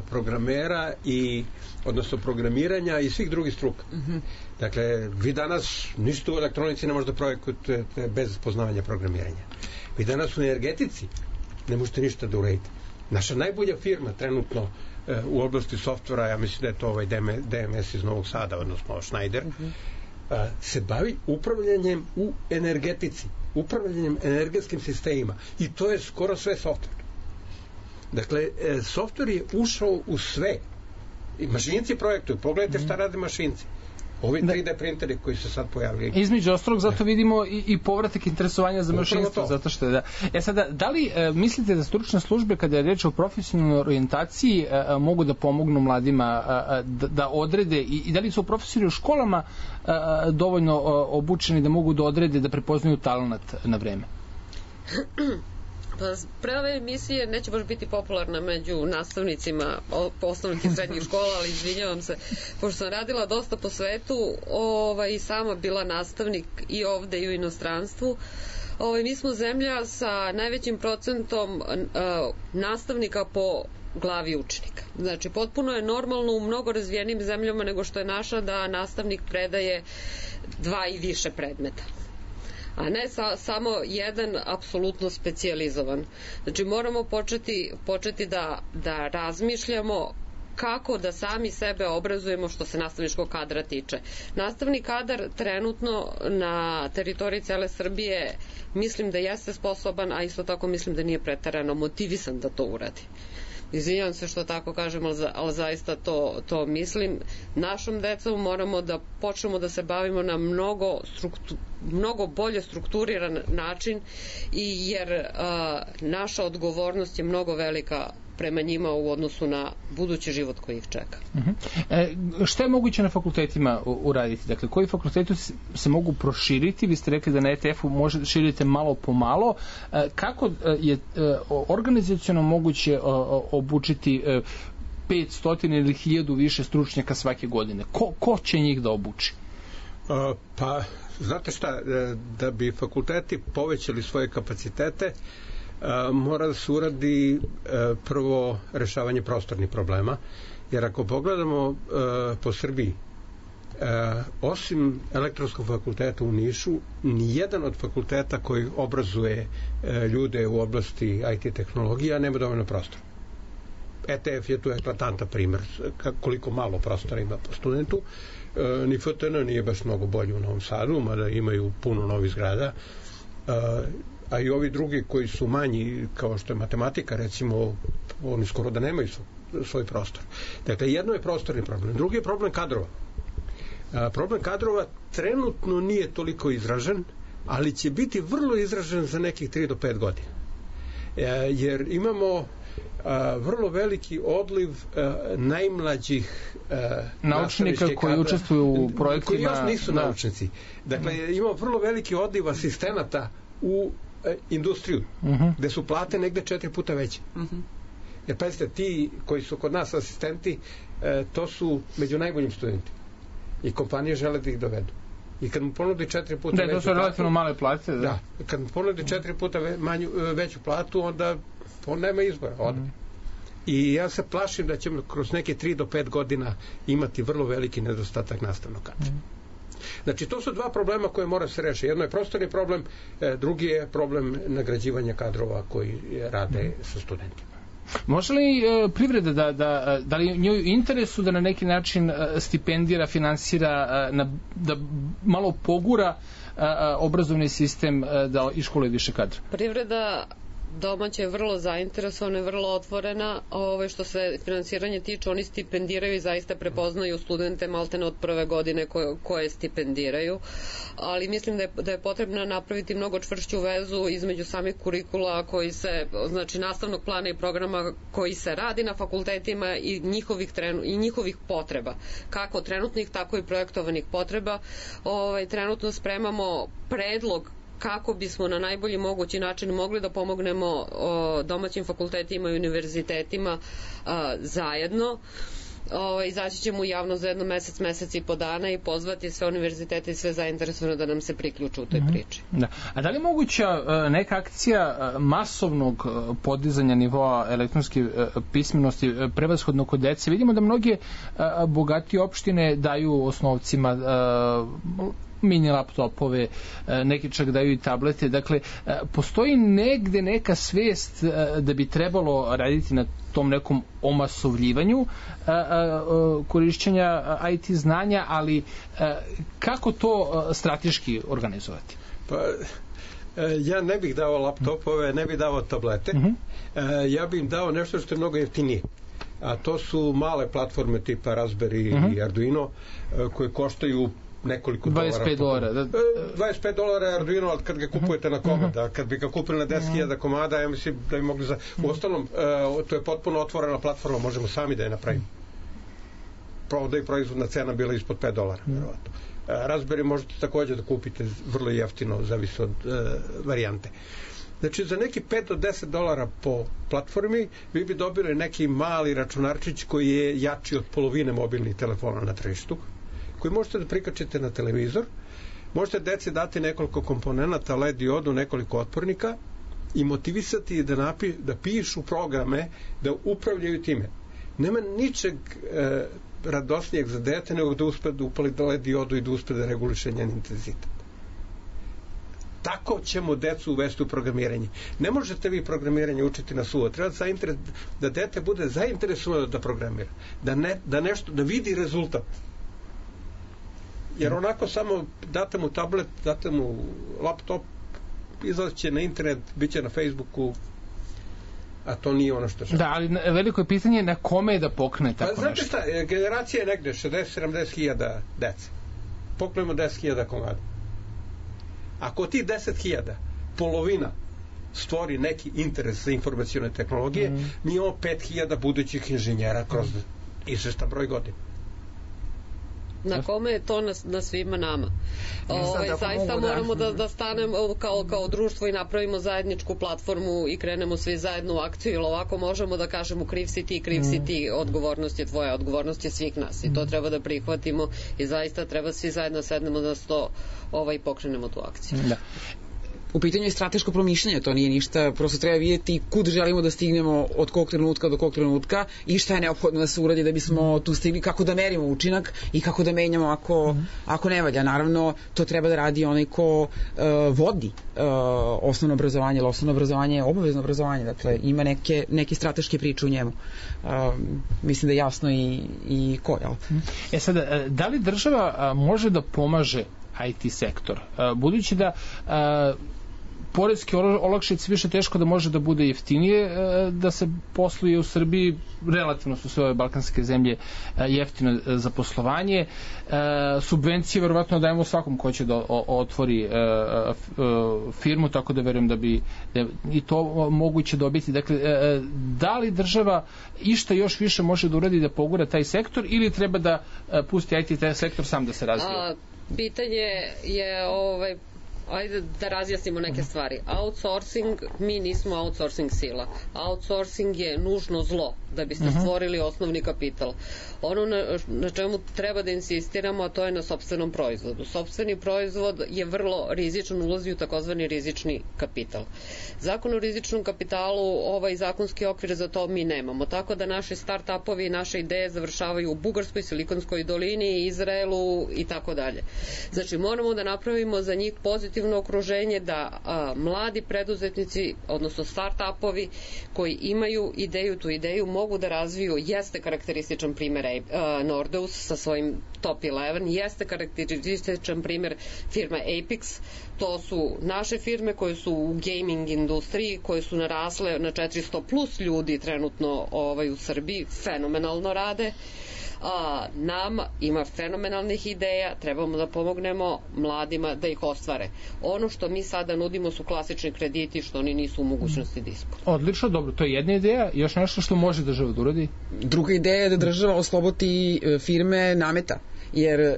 programera i odnosno programiranja i svih drugih struka. Mm-hmm. Dakle, vi danas ništa u elektronici ne možete projektujete bez poznavanja programiranja. Vi danas u energetici ne možete ništa da uradite. Naša najbolja firma trenutno e, u oblasti softvera, ja mislim da je to ovaj D M S iz Novog Sada, odnosno Schneider, mm-hmm. a, se bavi upravljanjem u energetici, upravljanjem energetskim sistemima. I to je skoro sve softver. Dakle, e, softver je ušao u sve. I mašinci projektuju. Pogledajte šta rade mašinci. Ovi tri D printeri koji se sad pojavili. Između ostalog, zato vidimo i, i povratak interesovanja za mašinstvo. Zato što je da. E sada, da li e, mislite da stručne službe, kada je reč o profesionalnoj orijentaciji, e, e, mogu da pomognu mladima e, da, da odrede i, i da li su profesori u školama e, dovoljno e, obučeni da mogu da odrede da prepoznaju talenat na vreme? Pa pre ove emisije neće baš biti popularna među nastavnicima osnovnih i srednjih škola, ali izvinjavam se, pošto sam radila dosta po svetu, ovaj, i sama bila nastavnik i ovde i u inostranstvu. Ovaj, mi smo zemlja sa najvećim procentom uh, nastavnika po glavi učenika. Znači, potpuno je normalno u mnogo razvijenim zemljama nego što je naša da nastavnik predaje dva i više predmeta, a ne sa, samo jedan apsolutno specijalizovan. Znači moramo početi, početi da, da razmišljamo kako da sami sebe obrazujemo što se nastavničkog kadra tiče. Nastavni kadar trenutno na teritoriji cele Srbije mislim da jeste sposoban, a isto tako mislim da nije preterano motivisan da to uradi. Izvinjavam se što tako kažem, ali, za, ali zaista to, to mislim. Našom decom moramo da počnemo da se bavimo na mnogo, struktu, mnogo bolje strukturiran način, i jer a, naša odgovornost je mnogo velika prema njima u odnosu na budući život koji ih čeka. Uh-huh. E, šta je moguće na fakultetima uraditi? Dakle, koji fakulteti se mogu proširiti? Vi ste rekli da na E T F-u možete širiti malo po malo. E, kako je e, organizaciono moguće e, obučiti e, petsto ili hiljadu više stručnjaka svake godine. Ko, ko će njih da obuči? Uh, pa, znate šta, da bi fakulteti povećali svoje kapacitete, uh, mora da se uradi uh, prvo rešavanje prostornih problema, jer ako pogledamo uh, po Srbiji, Uh, osim elektronskog fakulteta u Nišu, nijedan od fakulteta koji obrazuje uh, ljude u oblasti I T tehnologija nema dovoljno prostora. E T F je tu eklatantan primer koliko malo prostora ima po studentu. Uh, ni F T N nije baš mnogo bolji u Novom Sadu, mada imaju puno novih zgrada. Uh, a i ovi drugi koji su manji, kao što je matematika, recimo, oni skoro da nemaju svoj, svoj prostor. Dakle, jedno je prostorni problem. Drugi je problem kadrova. A, problem kadrova trenutno nije toliko izražen, ali će biti vrlo izražen za nekih tri do pet godina. E, jer imamo a, vrlo veliki odliv a, najmlađih a, naučnika koji kadra, učestvuju u projektima. Koji još nisu da. naučnici. Dakle, mm. imamo vrlo veliki odliv asistenata u a, industriju, mm-hmm. gde su plate negde četiri puta veće. Mm-hmm. Jer pazite, ti koji su kod nas asistenti, a, to su među najboljim studenti. I kompanije žele da ih dovedu. I kad mu ponudi četiri puta da, veću to su relativno male plate. Da. da. Kad mu ponudi četiri puta ve, manju, veću platu, onda on nema izbora. Odme. Mm. I ja se plašim da ćemo kroz neke tri do pet godina imati vrlo veliki nedostatak nastavnog kadra. Mm. Znači, to su dva problema koje mora se rešiti. Jedno je prostorni problem, drugi je problem nagrađivanja kadrova koji rade mm. sa studentima. Može li e, privreda da, da, da li njoj interesu da na neki način e, stipendira, finansira, e, na, da malo pogura e, obrazovni sistem e, da iškoluje više kadra? Privreda domaća je vrlo zainteresovana i vrlo otvorena. Ove, što se finansiranje tiče, oni stipendiraju i zaista prepoznaju studente maltene od prve godine koje, koje stipendiraju. Ali mislim da je, da je potrebno napraviti mnogo čvršću vezu između samih kurikula koji se, znači nastavnog plana i programa koji se radi na fakultetima i njihovih, trenu, i njihovih potreba. Kako trenutnih, tako i projektovanih potreba. Ove, trenutno spremamo predlog kako bismo na najbolji mogući način mogli da pomognemo o, domaćim fakultetima i univerzitetima a, zajedno. O, izaći ćemo u javno za jedno mesec, mesec i po dana i pozvati sve univerzitete i sve zainteresovane da nam se priključu u toj mm-hmm. priči. Da. A da li je moguća neka akcija masovnog podizanja nivoa elektronske pismenosti prevashodno kod dece? Vidimo da mnoge bogatije opštine daju osnovcima mini laptopove, neki čak daju i tablete. Dakle, postoji negde neka svest da bi trebalo raditi na tom nekom omasovljivanju korišćenja I T znanja, ali kako to strateški organizovati? Pa, ja ne bih dao laptopove, ne bih dao tablete. Mm-hmm. Ja bih im dao nešto što je mnogo jeftinije. A to su male platforme tipa Raspberry mm-hmm. i Arduino koje koštaju nekoliko dolara. dvadeset pet dolara. Da. dvadeset pet dolara je Arduino, ali kad ga kupujete na komad, a kad bi ga kupili na deset hiljada komada, ja mislim da bi mogli za... U ostalom, to je potpuno otvorena platforma, možemo sami da je napravimo. Pravo da je proizvodna cena bila ispod pet dolara, verovatno. Raspberry možete takođe da kupite vrlo jeftino, zavisi od uh, varijante. Znači, za neki pet do deset dolara po platformi vi bi dobili neki mali računarčić koji je jači od polovine mobilnih telefona na tržištu, koji možete da prikačite na televizor, možete deci dati nekoliko komponenata, L E D diodu, nekoliko otpornika i motivisati da, napi, da pišu programe, da upravljaju time. Nema ničeg e, radosnijeg za dete nego da uspe da upali L E D diodu i da uspe da reguliše njen intenzitet. Tako ćemo decu uvesti u programiranje. Ne možete vi programiranje učiti na suvo. Treba da, da dete bude zainteresovano da programira. Da, ne, da, nešto, da vidi rezultat. Jer onako samo date mu tablet, date mu laptop, izlaziće na internet, bit će na Facebooku, a to nije ono što žele. Da, ali veliko je pitanje na kome je da pokne tako pa, nešto. Znate šta, generacija je negde šezdeset sedamdeset hiljada dece. Poknemo deset hiljada komada. Ako ti deset hiljada, polovina stvori neki interes za informacijone tehnologije, mm. mi imamo pet hiljada budućih inženjera kroz izvestan broj godina. Na kome je to na, na svima nama. Ove, zaista moramo da, da stanemo kao, kao društvo i napravimo zajedničku platformu i krenemo svi zajedno u akciju, ili ovako možemo da kažemo kriv si ti, kriv si ti, odgovornost je tvoja, odgovornost je svih nas i to treba da prihvatimo i zaista treba svi zajedno sednemo na sto ovaj, pokrenemo tu akciju. Da. U pitanju je strateško promišljanje, to nije ništa, prosto treba vidjeti kud želimo da stignemo od kog trenutka do kog trenutka i šta je neophodno da se uradi da bismo tu stigli, kako da merimo učinak i kako da menjamo ako, mm. ako ne valja. Naravno, to treba da radi onaj ko uh, vodi uh, osnovno obrazovanje, ali osnovno obrazovanje je obavezno obrazovanje, dakle ima neke, neke strateške priče u njemu. Uh, mislim da je jasno i, i ko, jel? E sada, da li država može da pomaže I T sektor? Budući da poreske olakšice više teško da može da bude jeftinije da se posluje u Srbiji, relativno su sve ove balkanske zemlje jeftino za poslovanje, subvencije verovatno dajemo svakom ko će da otvori firmu, tako da verujem da bi i to moguće dobiti. Dakle, da li država išta još više može da uradi da pogura taj sektor ili treba da pusti I T sektor sam da se razvije? Pitanje je ovaj, ajde da razjasnimo neke stvari. Outsourcing, mi nismo outsourcing sila. Outsourcing je nužno zlo da biste stvorili osnovni kapital. Ono na, na čemu treba da insistiramo, a to je na sopstvenom proizvodu. Sopstveni proizvod je vrlo rizičan, ulazi u takozvani rizični kapital. Zakon o rizičnom kapitalu, ovaj zakonski okvir za to mi nemamo. Tako da naši start-upovi i naše ideje završavaju u Bugarskoj, Silikonskoj dolini, Izraelu i tako dalje. Znači, moramo da napravimo za njih pozitivno okruženje da a, mladi preduzetnici, odnosno start-upovi koji imaju ideju, tu ideju mogu da razviju, jeste karakterističan primjer uh, Nordeus sa svojim top jedanaest, jeste karakterističan primjer firme Apex, to su naše firme koje su u gaming industriji, koje su narasle na četiristo plus ljudi trenutno ovaj, u Srbiji, fenomenalno rade. A, nama ima fenomenalnih ideja, trebamo da pomognemo mladima da ih ostvare. Ono što mi sada nudimo su klasični krediti što oni nisu u mogućnosti da ispune. Odlično, dobro, to je jedna ideja. Još nešto što može država da uradi? Druga ideja je da država oslobodi firme nameta. Jer e,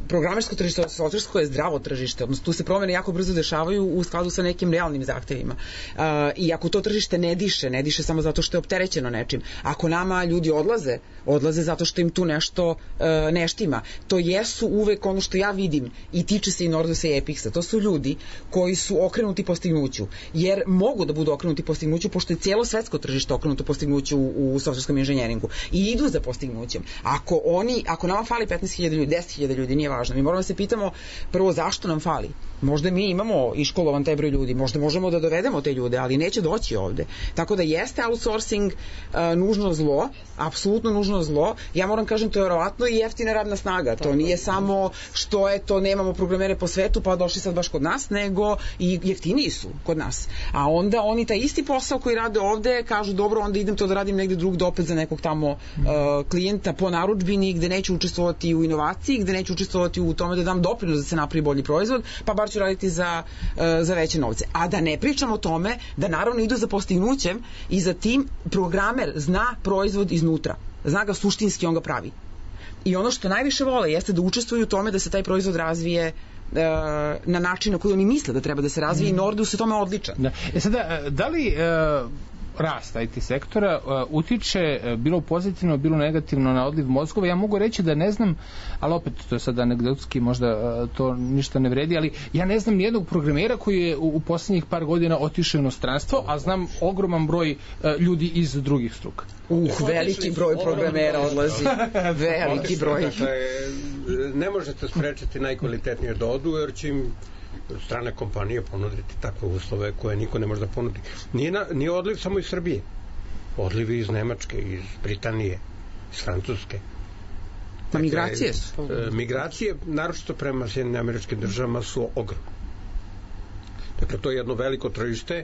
programersko tržište, softversko je zdravo tržište, odnosno tu se promene jako brzo dešavaju u skladu sa nekim realnim zahtevima. E, I ako to tržište ne diše, ne diše samo zato što je opterećeno nečim. Ako nama ljudi odlaze, odlaze zato što im tu nešto e, ne štima. To jesu uvek ono što ja vidim i tiče se i Nordeusa i Epixa. To su ljudi koji su okrenuti postignuću. Jer mogu da budu okrenuti postignuću pošto je cijelo svetsko tržište okrenuto postignuću u, u softverskom inženjeringu. I idu za postignućem. Ako oni, ako nama fali petnaest hiljada ljudi, deset hiljada ljudi, nije važno. Mi moramo da se pitamo prvo zašto nam fali. Možda mi imamo iškolovan taj broj ljudi, možda možemo da dovedemo te ljude, ali neće doći ovde. Tako da jeste outsourcing uh, nužno zlo, apsolutno nužno zlo. Ja moram kažem, to je verovatno i jeftina radna snaga. To nije samo što je to, nemamo programere po svetu pa došli sad baš kod nas, nego i jeftiniji su kod nas. A onda oni taj isti posao koji rade ovde kažu dobro, onda idem to da radim negde drugde opet za nekog tamo uh, klijenta po narudžbini gde neću učestvovati u inovaciji, gde neću učestvovati u tome da dam doprinos da se napravi bolji proizvod, pa bar ću raditi za, za veće novce. A da ne pričam o tome da naravno idu za postignućem i za tim programer zna proizvod iznutra. Zna ga suštinski, on ga pravi. I ono što najviše vole jeste da učestvuju u tome da se taj proizvod razvije na način na koji oni misle da treba da se razvije i Nordeus je tome odličan. Da. E sada, da li uh... rast I T sektora uh, utiče uh, bilo pozitivno, bilo negativno na odliv mozgova. Ja mogu reći da ne znam, ali opet to je sad anegdotski, možda uh, to ništa ne vredi, ali ja ne znam nijednog programera koji je u, u poslednjih par godina otišao u inostranstvo, a znam ogroman broj uh, ljudi iz drugih struka. Uh, veliki broj programera odlazi. Veliki broj. Dakle, ne možete sprečiti najkvalitetnije da odu, jer će im strane kompanije ponuditi takve uslove koje niko ne može da ponudi. Nije, na, nije odliv samo iz Srbije. Odliv iz Nemačke, iz Britanije, iz Francuske. Pa migracije su. E, migracije, naročito prema Sjedinjenim Američkim Državama, su ogromne. Dakle, to je jedno veliko tržište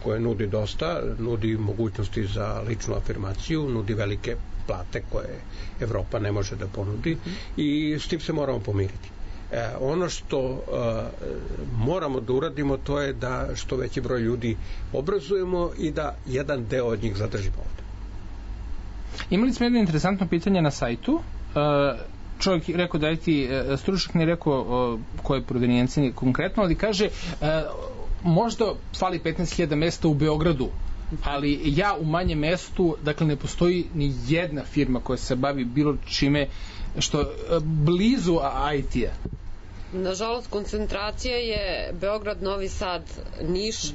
koje nudi dosta, nudi mogućnosti za ličnu afirmaciju, nudi velike plate koje Evropa ne može da ponudi i s tim se moramo pomiriti. E, ono što uh, moramo da uradimo to je da što veći broj ljudi obrazujemo i da jedan deo od njih zadržimo ovde. Imali smo jedno interesantno pitanje na sajtu. Uh, čovjek rekao da je ti stručnjak, ne rekao koje provenijencije konkretno, ali kaže možda fali petnaest hiljada mesta u Beogradu, ali ja u manjem mestu, dakle ne postoji ni jedna firma koja se bavi bilo čime što blizu I T-a. Nažalost, koncentracija je Beograd, Novi Sad, Niš, uh,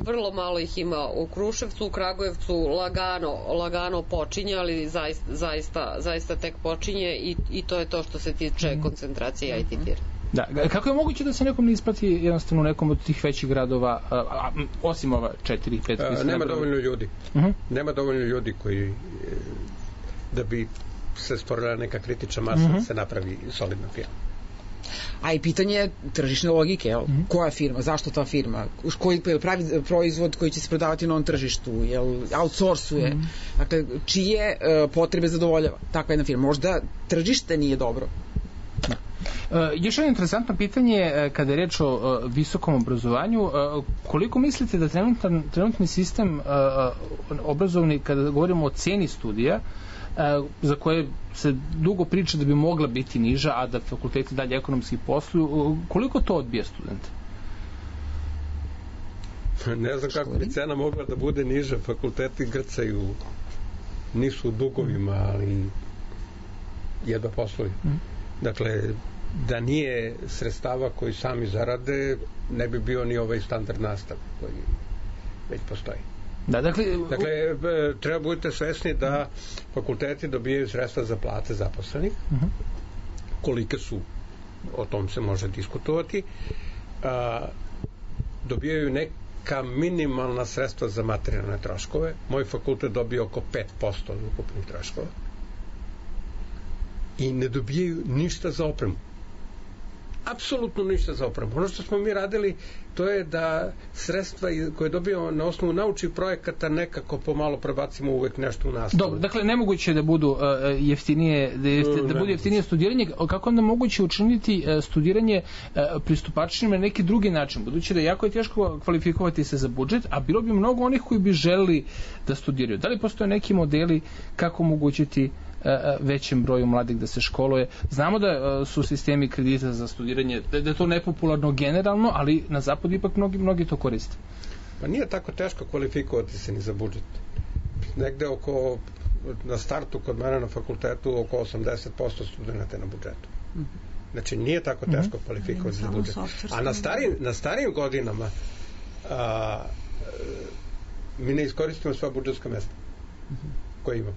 vrlo malo ih ima u Kruševcu, u Kragujevcu lagano, lagano počinje, ali zaista, zaista, zaista tek počinje i, i to je to što se tiče koncentracije I T firme. Da, kako je moguće da se nekom ne isplati jednostavno u nekom od tih većih gradova, a, a, osim ova četiri, pet? A, nema dovoljno ljudi. Uh-huh. Nema dovoljno ljudi koji da bi se stvorila neka kritična masa uh-huh. da se napravi solidna firma. A i pitanje je tržišne logike, jel? Mm-hmm. Koja firma, zašto ta firma, koji pravi proizvod koji će se prodavati na ovom tržištu, jel outsourcuje, mm-hmm. dakle, čije uh, potrebe zadovoljava takva jedna firma. Možda tržište nije dobro. Da. Uh, još jedno interesantno pitanje uh, kada je reč o uh, visokom obrazovanju, uh, koliko mislite da trenutan, trenutni sistem uh, obrazovni, kada govorimo o ceni studija, Uh, za koje se dugo priča da bi mogla biti niža, a da fakulteti dalje ekonomski posluju, uh, koliko to odbija studente? Ne znam kako bi cena mogla da bude niža, fakulteti grcaju, nisu u dugovima, ali jedva posluju. Mm. Dakle, da nije sredstava koji sami zarade, ne bi bio ni ovaj standard nastav koji već postoji. Da, dakle, dakle, treba budete svesni da fakulteti dobijaju sredstva za plate zaposlenih. Uh-huh. Kolike su, o tom se može diskutovati. A, dobijaju neka minimalna sredstva za materijalne troškove. Moj fakultet dobije oko pet posto od ukupnih troškova. I ne dobijaju ništa za opremu. Apsolutno ništa za opremu. Ono što smo mi radili, to je da sredstva koje dobijamo na osnovu naučnih projekata nekako pomalo prebacimo uvek nešto u nastavu. Dobro, dakle, nemoguće je da budu uh, jeftinije, da, jefti, da bude jeftinije studiranje. Kako onda moguće učiniti uh, studiranje uh, pristupačnim na neki drugi način? Budući da jako je teško kvalifikovati se za budžet, a bilo bi mnogo onih koji bi želeli da studiraju. Da li postoje neki modeli kako omogućiti većem broju mladih da se školuje? Znamo da su sistemi kredita za studiranje, da je to nepopularno generalno, ali na zapadu ipak mnogi, mnogi to koriste. Pa nije tako teško kvalifikovati se ni za budžet. Negde oko, na startu kod mene na fakultetu, oko osamdeset posto studenta na budžetu. Znači nije tako teško mm-hmm. kvalifikovati za budžet. A na starijim, na starijim godinama a, mi ne iskoristimo sva budžetska mesta mm-hmm. koje imamo.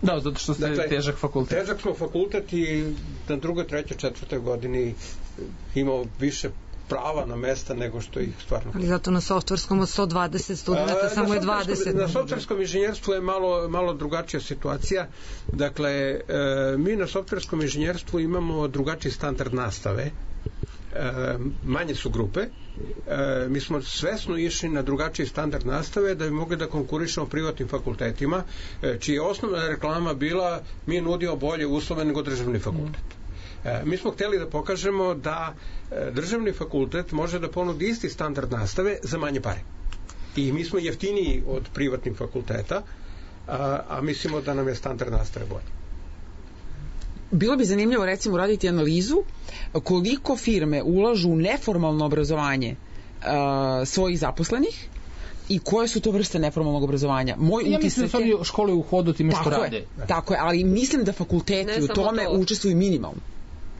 Da, zato što ste dakle, težak fakultet. Težak smo fakultet i na drugoj, trećoj, četvrtoj godini imao više prava na mesta nego što ih stvarno. Ali zato na softverskom od sto dvadeset studenta samo je dvadeset. Na softverskom inženjerstvu je malo, malo drugačija situacija. Dakle, e, mi na softverskom inženjerstvu imamo drugačiji standard nastave. E, manje su grupe. E, mi smo svesno išli na drugačiji standard nastave da bi mogli da konkurišemo privatnim fakultetima, e, čija je osnovna reklama bila mi nudimo bolje uslove nego državni fakultet. E, mi smo hteli da pokažemo da e, državni fakultet može da ponudi isti standard nastave za manje pare. I mi smo jeftiniji od privatnih fakulteta, a, a mislimo da nam je standard nastave bolje. Bilo bi zanimljivo recimo raditi analizu koliko firme ulažu u neformalno obrazovanje uh, svojih zaposlenih i koje su to vrste neformalnog obrazovanja. Moj ja mislim da su oni škole u hodu time što tako rade. Je, tako je, ali mislim da fakulteti u tome to. učestvuju minimalno.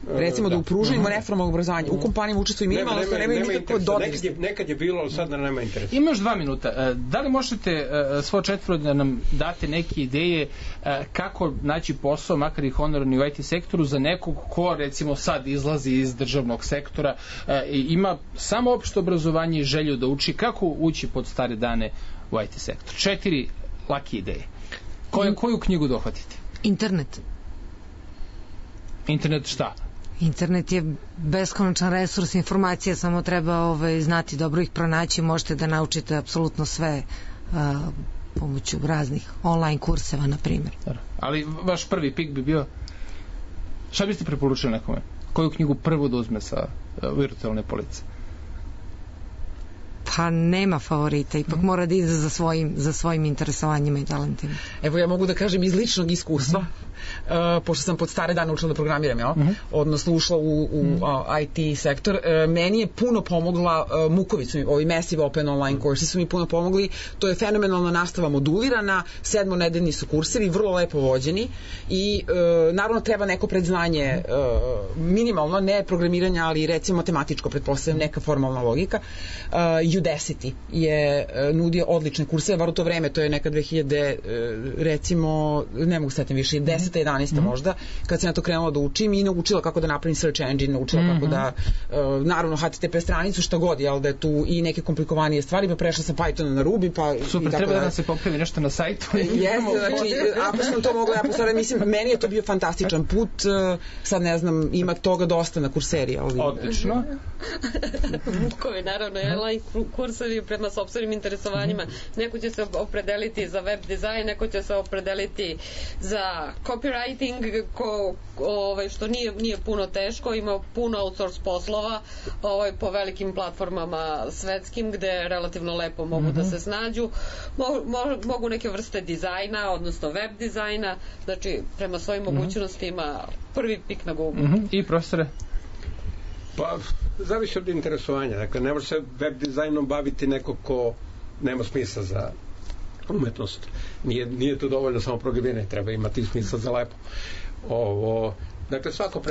Recimo da, da u pružanju mm-hmm. neformalnog obrazovanja u kompanijama učestvuju minimalno, nema, nema, nema nikakvo dodir. Nekad je, nekad je bilo, ali sad da nema interesa. Ima još dva minuta. Da li možete svo četvoro da nam date neke ideje kako naći posao, makar i honorarni u I T sektoru, za nekog ko recimo sad izlazi iz državnog sektora i ima samo opšte obrazovanje i želju da uči, kako ući pod stare dane u I T sektor? Četiri lake ideje. Koju, koju knjigu dohvatiti? Internet. Internet šta? Internet je beskonačan resurs informacija, samo treba ovaj, znati dobro ih pronaći, možete da naučite apsolutno sve uh, pomoću raznih online kurseva, na primjer. Ali vaš prvi pik bi bio, šta biste preporučili nekome? Koju knjigu prvo da uzme sa uh, virtualne police? Pa nema favorita, ipak mm. mora da ide za svojim, za svojim interesovanjima i talentima. Evo ja mogu da kažem iz ličnog iskustva. Mm. uh, pošto sam pod stare dane učila da programiram, jel? Mm -hmm. Odnosno ušla u, u mm -hmm. I T sektor. Uh, meni je puno pomogla uh, Muković, ovi Massive Open Online Course su mi puno pomogli. To je fenomenalna nastava modulirana, sedmonedeljni su kursevi, vrlo lepo vođeni i uh, naravno treba neko predznanje uh, minimalno, ne programiranja, ali recimo matematičko, pretpostavljam, neka formalna logika. Uh, Udacity je uh, nudio odlične kurseve, var u to vreme, to je neka dve hiljade, uh, recimo, ne mogu setim više, deseta, jedanaesta možda, kad sam ja to krenula da učim i naučila kako da napravim search engine, naučila kako da, uh, naravno, H T T P stranicu, šta god, jel, da je tu i neke komplikovanije stvari, pa prešla sam Pythona na Ruby, pa... Super, treba da nam se popravi nešto na sajtu. Jeste, znači, ako sam to mogla ja postavljati, mislim, meni je to bio fantastičan put, uh, sad ne znam, ima toga dosta na kurseri, ali... Odlično. Vukovi, naravno, online kursevi prema sopstvenim interesovanjima. Neko će se opredeliti za web dizajn, neko će se opredeliti za copywriting, ko, ovaj, što nije, nije puno teško, ima puno outsource poslova ovaj, po velikim platformama svetskim, gde relativno lepo mogu mm-hmm. da se snađu. Mo, mo, mogu neke vrste dizajna, odnosno web dizajna, znači prema svojim mm-hmm. mogućnostima prvi pik na Google. Mm-hmm. I profesore? Pa, zavisi od interesovanja. Dakle, ne može se web dizajnom baviti neko ko nema smisla za umetnost. Nije, nije to dovoljno samo programiranje, treba imati smisla za lepo. Ovo, dakle, svako pre